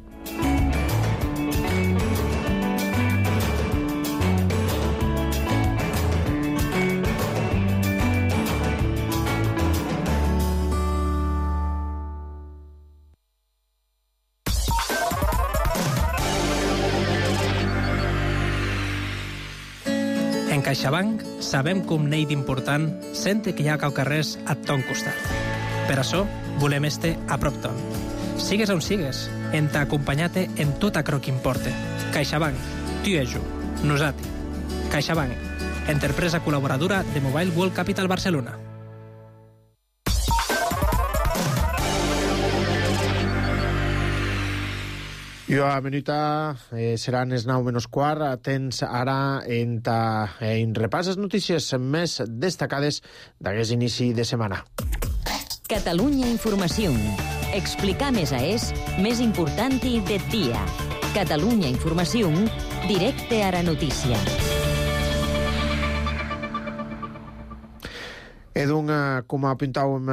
En CaixaBank sabem com n'hi d'important sente que hi ha caucarrers a ton costat. Per això volem este a prop ton. Sigues on sigues, en t'acompanyate en tot acro que importe. CaixaBank, tu i jo, nosati. CaixaBank, empresa col·laboradora de Mobile World Capital Barcelona. Jo a minuta eh, seran els nou menys quart. Tens ara en, ta, en repàs les notícies més destacades d'aquest inici de setmana. Catalunya Informació. Explicar més a és més important de dia. Catalunya Informació, directe a la notícia. Edun, com apuntàvem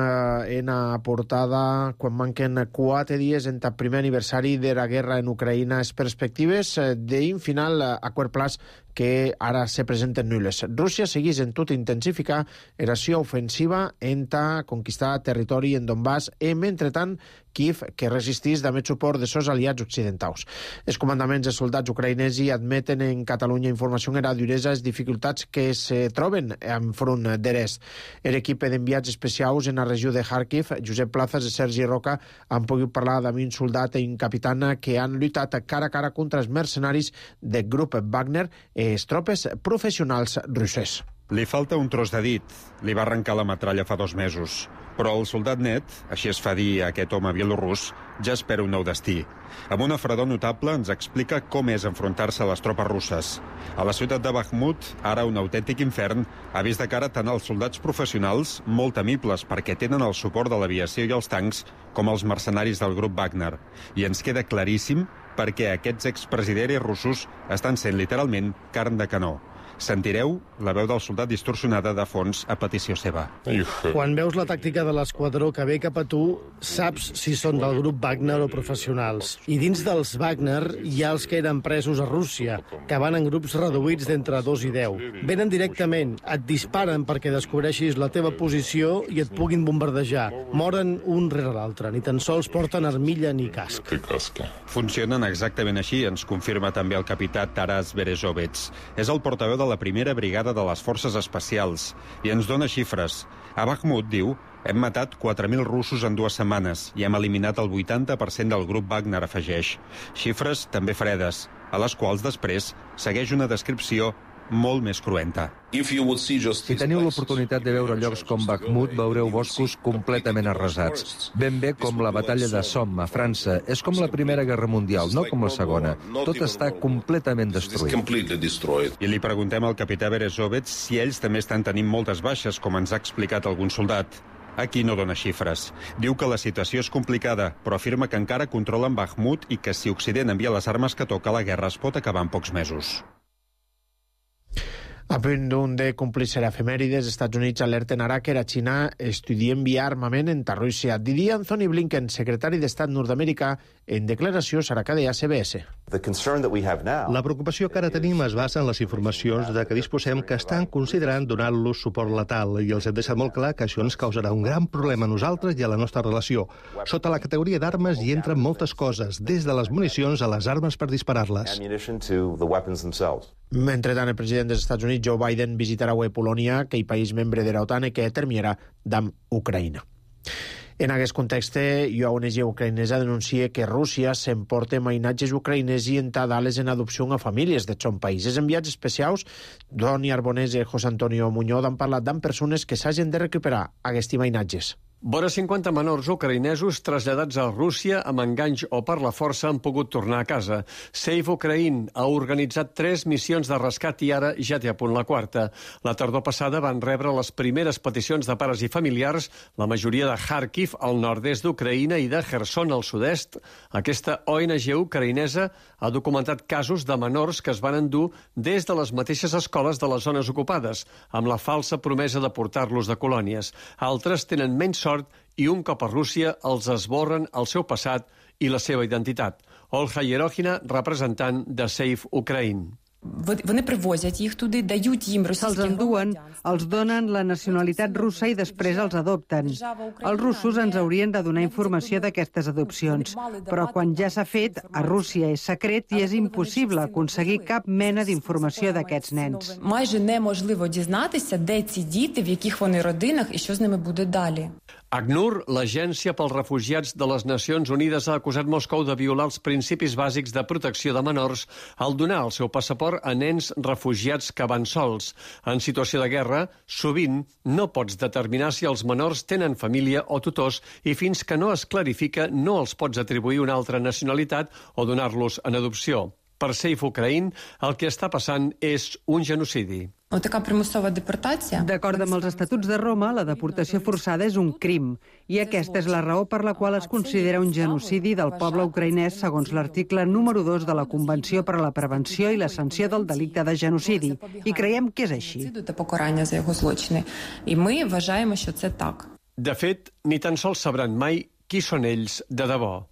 en la portada, quan manquen quatre dies en el primer aniversari de la guerra en Ucraïna, les perspectives d'un final a quart plaç que ara se presenten nules. Rússia seguís en tot intensificar eració ofensiva enta conquistar territori en Donbass e, mentretant, Kiev, que resistís d'haver suport de sos aliats occidentals. Els comandaments de soldats ucraïnesi admeten en Catalunya Informació era duresa les dificultats que se troben enfront d'Erest. L'equip d'enviats especials en la regió de Kharkiv, Josep Plazas i Sergi Roca, han pogut parlar amb un soldat i un capitana que han lluitat cara a cara contra els mercenaris del grup Wagner i les tropes professionals russes. Li falta un tros de dit. Li va arrencar la metralla fa dos mesos. Però el soldat net, així es fa dir a aquest home bielorrus, ja espera un nou destí. Amb una fredor notable ens explica com és enfrontar-se a les tropes russes. A la ciutat de Bakhmut, ara un autèntic infern, ha vist de cara tant als soldats professionals, molt temibles perquè tenen el suport de l'aviació i els tancs, com els mercenaris del grup Wagner. I ens queda claríssim perquè aquests expresidents russos estan sent literalment carn de canó. Sentireu la veu del soldat distorsionada de fons a petició seva. Quan veus la tàctica de l'esquadró que ve cap a tu, saps si són del grup Wagner o professionals. I dins dels Wagner hi ha els que eren presos a Rússia, que van en grups reduïts d'entre dos i deu. Venen directament, et disparen perquè descobreixis la teva posició i et puguin bombardejar. Moren un rere l'altre, ni tan sols porten armilla ni casc. Funcionen exactament així, ens confirma també el capità Taras Berezovets. És el portaveu de la primera brigada de les forces especials i ens dona xifres. A Bakhmut, diu, hem matat quatre mil russos en dues setmanes i hem eliminat el vuitanta per cent del grup Wagner, afegeix. Xifres també fredes, a les quals després segueix una descripció molt més cruenta. Si teniu l'oportunitat de veure llocs com Bakhmut, veureu boscos completament arrasats. Ben bé com la batalla de Somme, a França. És com la Primera Guerra Mundial, no com la Segona. Tot està completament destruït. I li preguntem al capità Berezovets si ells també estan tenint moltes baixes, com ens ha explicat algun soldat. Aquí no dona xifres. Diu que la situació és complicada, però afirma que encara controlen Bakhmut i que si Occident envia les armes que toca, la guerra es pot acabar en pocs mesos. A punt d'un de complir ser efemèrides, Estats Units alerten ara que la Xina estudia enviar armament entre Rússia. Diria Anthony Blinken, secretari d'Estat nord-americà, en declaració serà que deia C B S. La preocupació que ara tenim es basa en les informacions de que disposem que estan considerant donar-los suport letal i els hem deixat molt clar que això ens causarà un gran problema a nosaltres i a la nostra relació. Sota la categoria d'armes hi entren moltes coses, des de les municions a les armes per disparar-les. Mentrestant, el president dels Estats Units, Joe Biden, visitarà avui Polònia, que és país membre de l'OTAN i que terminarà amb Ucraïna. En aquest context, la O N G ucraïnesa denuncia que Rússia s'emporta mainatges ucraïnès i entadales en adopció a famílies de son país. Els enviats especials, Doni Arbonès i José Antonio Muñoz, han parlat amb persones que s'hagin de recuperar aquests mainatges. Vora cinquanta menors ucraïnesos traslladats a Rússia amb enganys o per la força han pogut tornar a casa. Save Ukraine ha organitzat tres missions de rescat i ara ja té a punt la quarta. La tardor passada van rebre les primeres peticions de pares i familiars, la majoria de Kharkiv, al nord-est d'Ucraïna, i de Kherson, al sud-est. Aquesta O N G ucraïnesa ha documentat casos de menors que es van endur des de les mateixes escoles de les zones ocupades, amb la falsa promesa de portar-los de colònies. Altres tenen menys sort i un cop a Rússia els esborren el seu passat i la seva identitat. Olga Yerogina, representant de Save Ukraine. Se'ls enduen, els donen la nacionalitat russa i després els adopten. Els russos ens haurien de donar informació d'aquestes adopcions, però quan ja s'ha fet, a Rússia és secret i és impossible aconseguir cap mena d'informació d'aquests nens. Майже неможливо дізнатися, де ці діти, в яких вони родинах і що з ними буде далі. ACNUR, l'Agència pels Refugiats de les Nacions Unides, ha acusat Moscou de violar els principis bàsics de protecció de menors al donar el seu passaport a nens refugiats que van sols. En situació de guerra, sovint no pots determinar si els menors tenen família o tutors i fins que no es clarifica no els pots atribuir una altra nacionalitat o donar-los en adopció. Per Save Ukraine, el que està passant és un genocidi. D'acord amb els Estatuts de Roma, la deportació forçada és un crim, i aquesta és la raó per la qual es considera un genocidi del poble ucraïnès segons l'article número dos de la Convenció per a la Prevenció i la Sanció del Delicte de Genocidi, i creiem que és així. De fet, ni tan sols sabran mai qui són ells de debò.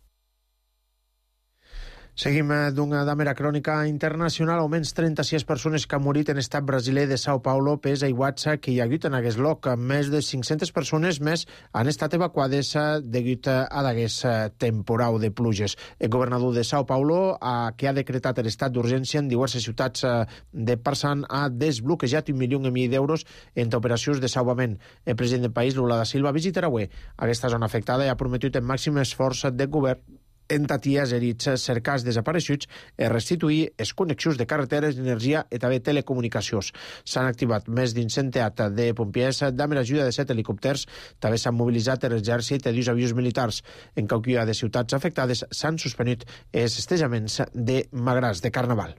Seguim d'una damera crònica internacional. Almenys trenta-sis persones que han morit en estat brasiler de Sao Paulo pes aiguats que hi ha hagut en aquest lloc. Més de cinc-centes persones més han estat evacuades degut a d'aquest temporal de pluges. El governador de Sao Paulo, que ha decretat l'estat d'urgència en diverses ciutats de Parsan, ha desbloquejat un milió i mig d'euros entre operacions de salvament. El president del país, Lula da Silva, visitarà avui aquesta zona afectada i ha prometut el màxim esforç del govern en taties herits, cercars desapareixuts i restituir les connexions de carreteres, d'energia i també telecomunicacions. S'han activat més d'un centenar de pompiers, amb l'ajuda de set helicòpters. També s'han mobilitzat l'exèrcit i dos avions militars. En qualsevol de ciutats afectades s'han suspenut els festejaments de Magràs de Carnaval.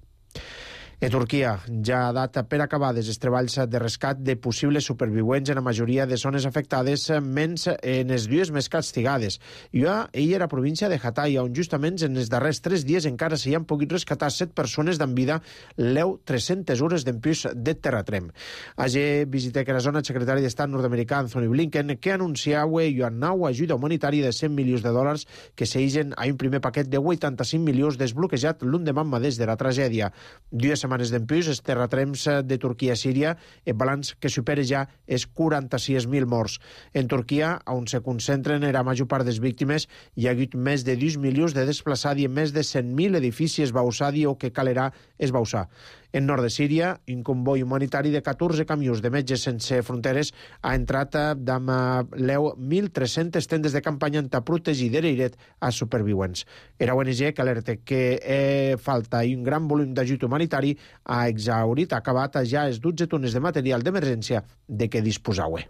A Turquia ja ha dat per acabades els treballs de rescat de possibles supervivents en la majoria de zones afectades, menys en les dues més castigades. I ell era província de Hatay, on justament en els darrers tres dies encara s'hi han pogut rescatar set persones d'en vida, l'eu tres-centes hores d'empús de terratrem. Ayer visité que la zona el secretari d'Estat nord-americà Anthony Blinken, que anunciava una nova ajuda humanitària de cent milions de dòlars que s'eixen a un primer paquet de vuitanta-cinc milions desbloquejat l'endemà mateix de la tragèdia. Dues setmanes d'empús, els terratrems de Turquia i Síria, el balanç que supera ja és quaranta-sis mil morts. En Turquia, on se concentren la major part de les víctimes, hi ha hagut més de dos milions de desplaçats i més de cent mil edificis esbausats o que calerà esbausar. En nord de Síria, un comboi humanitari de catorze camions de Metges Sense Fronteres ha entrat amb l'eu mil tres-centes tendes de campanya en protegir de l'airet a supervivents. Era O N G que alerta que eh, falta un gran volum d'ajut humanitari ha exhaurit, ha acabat ja els dotze tones de material d'emergència de què disposava.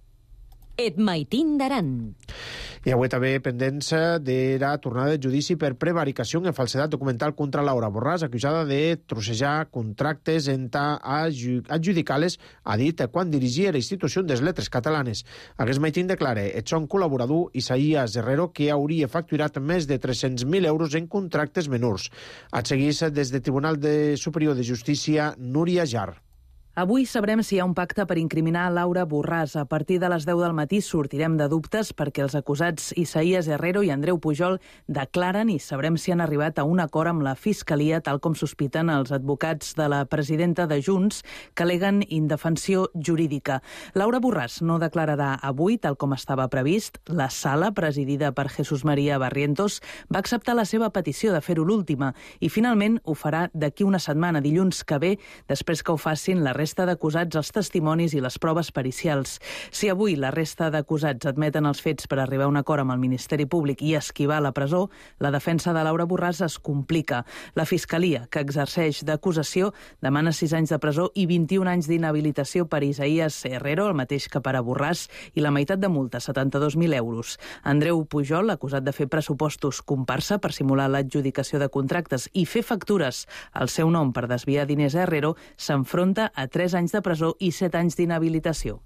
Et maitin d'aran. I avui també pendents de la tornada de judici per prevaricació en falsedat documental contra Laura Borràs, acusada de trossejar contractes entre adjudicales, ha dit quan dirigia la institució de les lletres catalanes. Aquest maitin declara el son col·laborador Isaías Herrero, que hauria facturat més de tres-cents mil euros en contractes menors. Et seguís des del Tribunal de Superior de Justícia, Núria Jar. Avui sabrem si hi ha un pacte per incriminar Laura Borràs. A partir de les deu del matí sortirem de dubtes perquè els acusats Isaías Herrero i Andreu Pujol declaren i sabrem si han arribat a un acord amb la Fiscalia, tal com sospiten els advocats de la presidenta de Junts, que aleguen indefensió jurídica. Laura Borràs no declararà avui, tal com estava previst. La sala, presidida per Jesús María Barrientos, va acceptar la seva petició de fer-ho l'última i finalment ho farà d'aquí una setmana, dilluns que ve, després que ho facin la resta d'acusats, els testimonis i les proves pericials. Si avui la resta d'acusats admeten els fets per arribar a un acord amb el Ministeri Públic i esquivar la presó, la defensa de Laura Borràs es complica. La Fiscalia, que exerceix d'acusació, demana sis anys de presó i vint-i-un anys d'inhabilitació per Isaías Herrero, el mateix que per a Borràs, i la meitat de multa, setanta-dos mil euros. Andreu Pujol, acusat de fer pressupostos comparsa per simular l'adjudicació de contractes i fer factures al seu nom per desviar diners a Herrero, s'enfronta a tres anys de presó i set anys d'inhabilitació.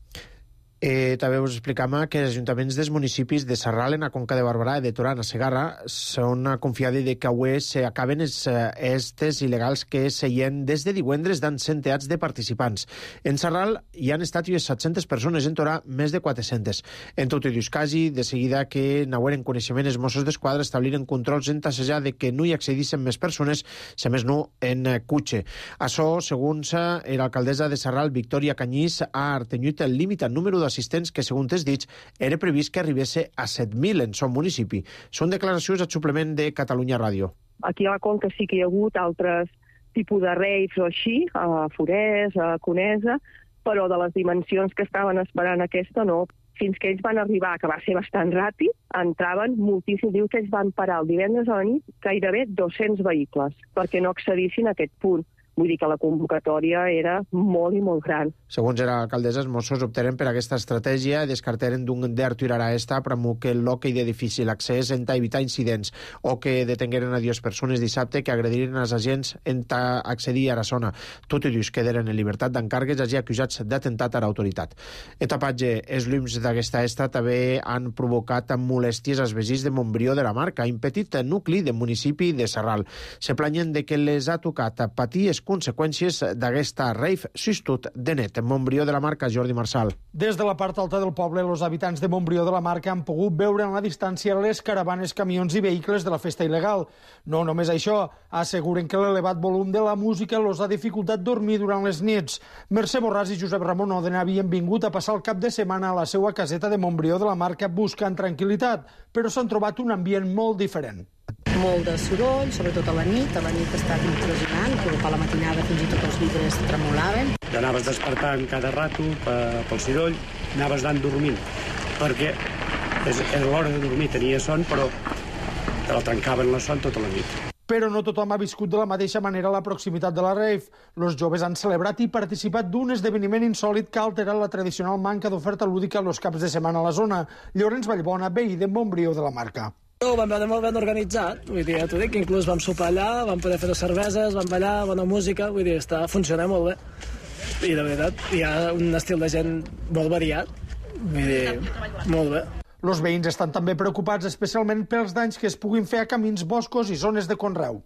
Eh, també us explicam que els ajuntaments dels municipis de Sarral, en la Conca de Barberà i de Torà, a Segarra, són confiats de que avui s'acaben els estes il·legals que seien des de divendres d'an centenars de participants. En Sarral hi han estat unes set-centes persones, en Torà més de quatre-centes. En tot i dos casos, de seguida que n'hagueren coneixement els Mossos d'Esquadra establiren controls en tassejar de que no hi accedissin més persones, si més no en cotxe. Això, segons l'alcaldessa de Sarral, Victòria Canyís, ha artenyut el límit al número de assistents que, segons els dits, era previst que arribés a set mil en son municipi. Són declaracions al suplement de Catalunya Ràdio. Aquí a la Conca sí que hi ha hagut altres tipus de raves o així, a Forès, a Conesa, però de les dimensions que estaven esperant aquesta no. Fins que ells van arribar, que va ser bastant ràpid, entraven moltíssim. Diu que ells van parar el divendres a la nit gairebé dos-cents vehicles perquè no accedissin a aquest punt. Vull dir que la convocatòria era molt i molt gran. Segons era l'alcaldessa, els Mossos optaren per aquesta estratègia i descartaren d'un d'arturar a esta promou que l'hoquei de difícil accés en evitar incidents o que detengueren a dues persones dissabte que agrediren els agents en accedir a la zona. Tots ells quedaren en llibertat d'encàrregues i acusats d'atemptat a l'autoritat. El tapatge, els llums d'aquesta esta també han provocat molèsties als veïns de Montbrió de la Marca, un petit nucli de municipi de Sarral. Se planyen de que les ha tocat patir conseqüències d'aquesta rave sistut de net. Montbrió de la Marca, Jordi Marçal. Des de la part alta del poble, els habitants de Montbrió de la Marca han pogut veure en la distància les caravanes, camions i vehicles de la festa il·legal. No només això, asseguren que l'elevat volum de la música els ha dificultat dormir durant les nits. Mercè Borràs i Josep Ramon Òdena havien vingut a passar el cap de setmana a la seva caseta de Montbrió de la Marca buscant tranquil·litat, però s'han trobat un ambient molt diferent. Molt de soroll, sobretot a la nit. A la nit ha estat impressionant, però a la matinada fins i tot els vidres tremolaven. T'anaves despertant cada rato pel soroll, anaves anant dormint, perquè era l'hora de dormir, tenia son, però te la trencaven la son tota la nit. Però no tothom ha viscut de la mateixa manera la proximitat de la rave. Els joves han celebrat i participat d'un esdeveniment insòlit que ha alterat la tradicional manca d'oferta lúdica els caps de setmana a la zona. Llorenç Vallbona, veí de Montbrió de la Marca. Ho vam veure molt ben organitzat, vull dir, ja t'ho dic, inclús vam sopar allà, vam poder fer cerveses, vam ballar, bona música, vull dir, està, funciona molt bé. I de veritat, hi ha un estil de gent molt variat, vull dir, molt bé. Els veïns estan també preocupats especialment pels danys que es puguin fer a camins, boscos i zones de conreu.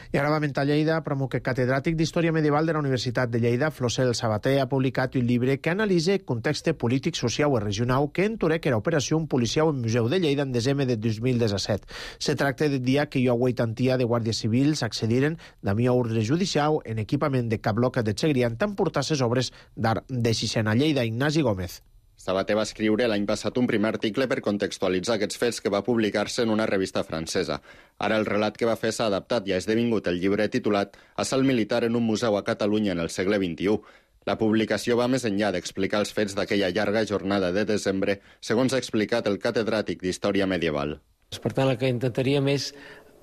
I ara va a Lleida, però que catedràtic d'Història Medieval de la Universitat de Lleida, Flosel Sabater, ha publicat un llibre que analitza el context polític, social i regional que entorec era operació policial en Museu de Lleida en desembre de dos mil disset. Se tracta del dia que hi ha huitantia de guàrdies civils accediren de mi ordre judicial en equipament de Cabloca de Segrià tant portar ses obres d'art de Sixena. Lleida, Ignasi Gómez. Sabater va escriure l'any passat un primer article per contextualitzar aquests fets que va publicar-se en una revista francesa. Ara el relat que va fer s'ha adaptat i ha esdevingut el llibre titulat Assalt militar en un museu a Catalunya en el segle vint-i-u. La publicació va més enllà d'explicar els fets d'aquella llarga jornada de desembre, segons ha explicat el catedràtic d'Història Medieval. Per tant, el que intentaríem és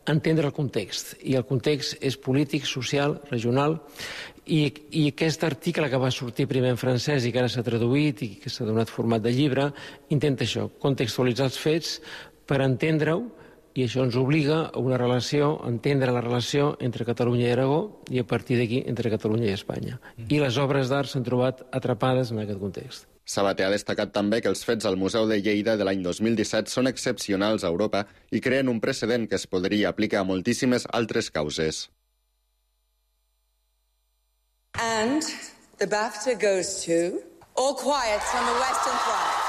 entendre el context, i el context és polític, social, regional, i, i aquest article que va sortir primer en francès i que ara s'ha traduït i que s'ha donat format de llibre, intenta això, contextualitzar els fets per entendre-ho, i això ens obliga a una relació, a entendre la relació entre Catalunya i Aragó i a partir d'aquí entre Catalunya i Espanya. I les obres d'art s'han trobat atrapades en aquest context. Sabater ha destacat també que els fets al Museu de Lleida de l'any dos mil disset són excepcionals a Europa i creen un precedent que es podria aplicar a moltíssimes altres causes. And the BAFTA goes to All Quiet on the Western Front.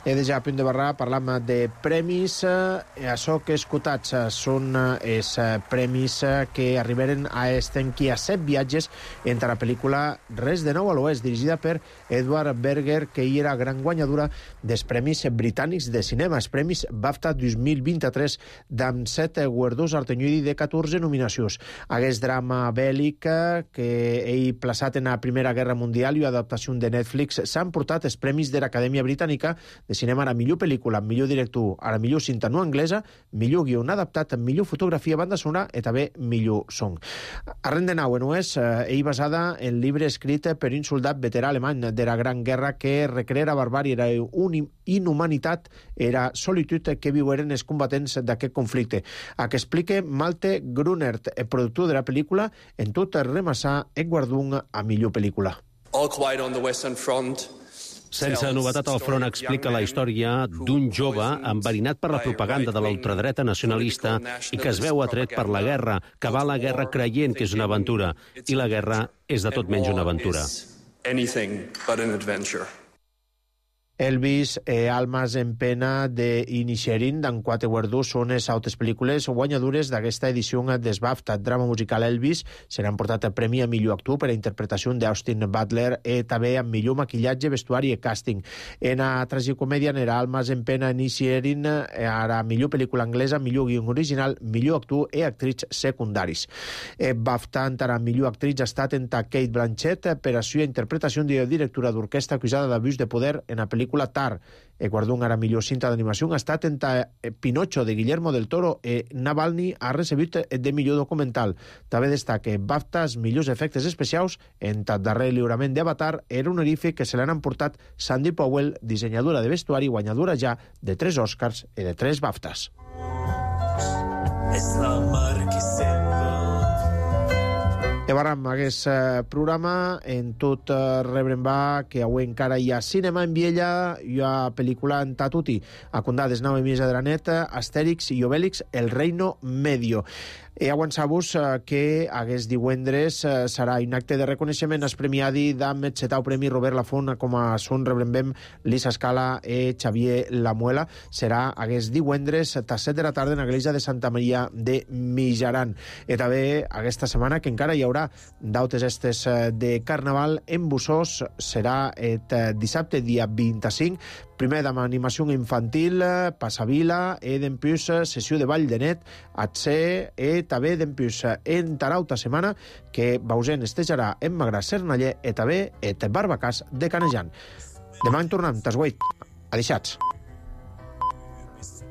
He de ja a punt de barrar, parlam de premis. Eh, això que escoltats són els eh, premis que arribaren a estenquir a set viatges entre la pel·lícula Res de nou a l'Oest, dirigida per Edward Berger, que hi era gran guanyadora dels premis britànics de cinema, els premis BAFTA dos mil vint-i-tres, d'amb set guardons artenyudi de catorze nominacions. Aquest drama bèl·lic que ell plaçat en la Primera Guerra Mundial i adaptació de Netflix s'han portat els premis de l'Acadèmia Britànica de cinema a la millor pel·lícula, millor director, a la millor cinta no anglesa, millor guió adaptat, millor fotografia, banda sonora i també millor son. Arren de nou, no és, eh, ell basada en llibre escrit per un soldat veterà alemany de la Gran Guerra que recreera barbària, era una inhumanitat, era solitud que viueren els combatents d'aquest conflicte. A que explique Malte Grunert, el productor de la pel·lícula, en tot remassar el guardó a millor pel·lícula. All Quiet on the Western Front. Sense novetat al front explica la història d'un jove enverinat per la propaganda de la ultradreta nacionalista i que es veu atret per la guerra, que va a la guerra creient que és una aventura, i la guerra és de tot menys una aventura. Anything but an adventure. Elvis e Almas en pena de Inisherin, d'en quatre guardons, són les altres pel·lícules guanyadores d'aquesta edició des BAFTA. Drama musical Elvis seran portat el premi a millor actor per a interpretació d'Austin Butler i també a millor maquillatge, vestuari i càsting. En la tragicomèdia n'era Almas en pena Inisherin, ara millor pel·lícula anglesa, millor guió original, millor actor i actriz secundaris. E BAFTA entrarà millor actriz ha estat en Kate Blanchett per a seva interpretació de directora d'orquestra acusada d'abús de poder en la pel·lícula Tar. El guardó a la millor cinta d'animació ha estat entre Pinocho de Guillermo del Toro i Navalny ha recebut de millor documental. També destaca BAFTA els millors efectes especials en el darrer lliurament d'Avatar era un honorífic que se l'han emportat Sandy Powell, dissenyadora de vestuari, guanyadora ja de tres Oscars i de tres BAFTAs. És la mar que sembla. Acabarem aquest eh, programa en tot eh, rebrem va que avui encara hi ha cinema en Viella, hi ha pel·lícula en Tatuti, a condades nau i misa de la neta, Astèrix i Obèlix, El Reino Medio. E avançar-vos que aquest divendres serà un acte de reconeixement als premiadi d'am etxetau Premi Robert Lafont com a son rebrembem Lisa Scala e Xavier Lamuela. Serà aquest divendres a set de la tarda en l'església de Santa Maria de Mijaran. I també aquesta setmana, que encara hi haurà dautes estes de Carnaval en Bussós, serà el dissabte dia vint-i-cinc, primer amb animació infantil, passavila, e dempús sessió de ball de net, atse, e també dempús en tarauta setmana, que Bausen estejarà en Magrà Cernaller, e també et Barbacàs de Canejan. Demà en tornem, tas vuit. Adeixats.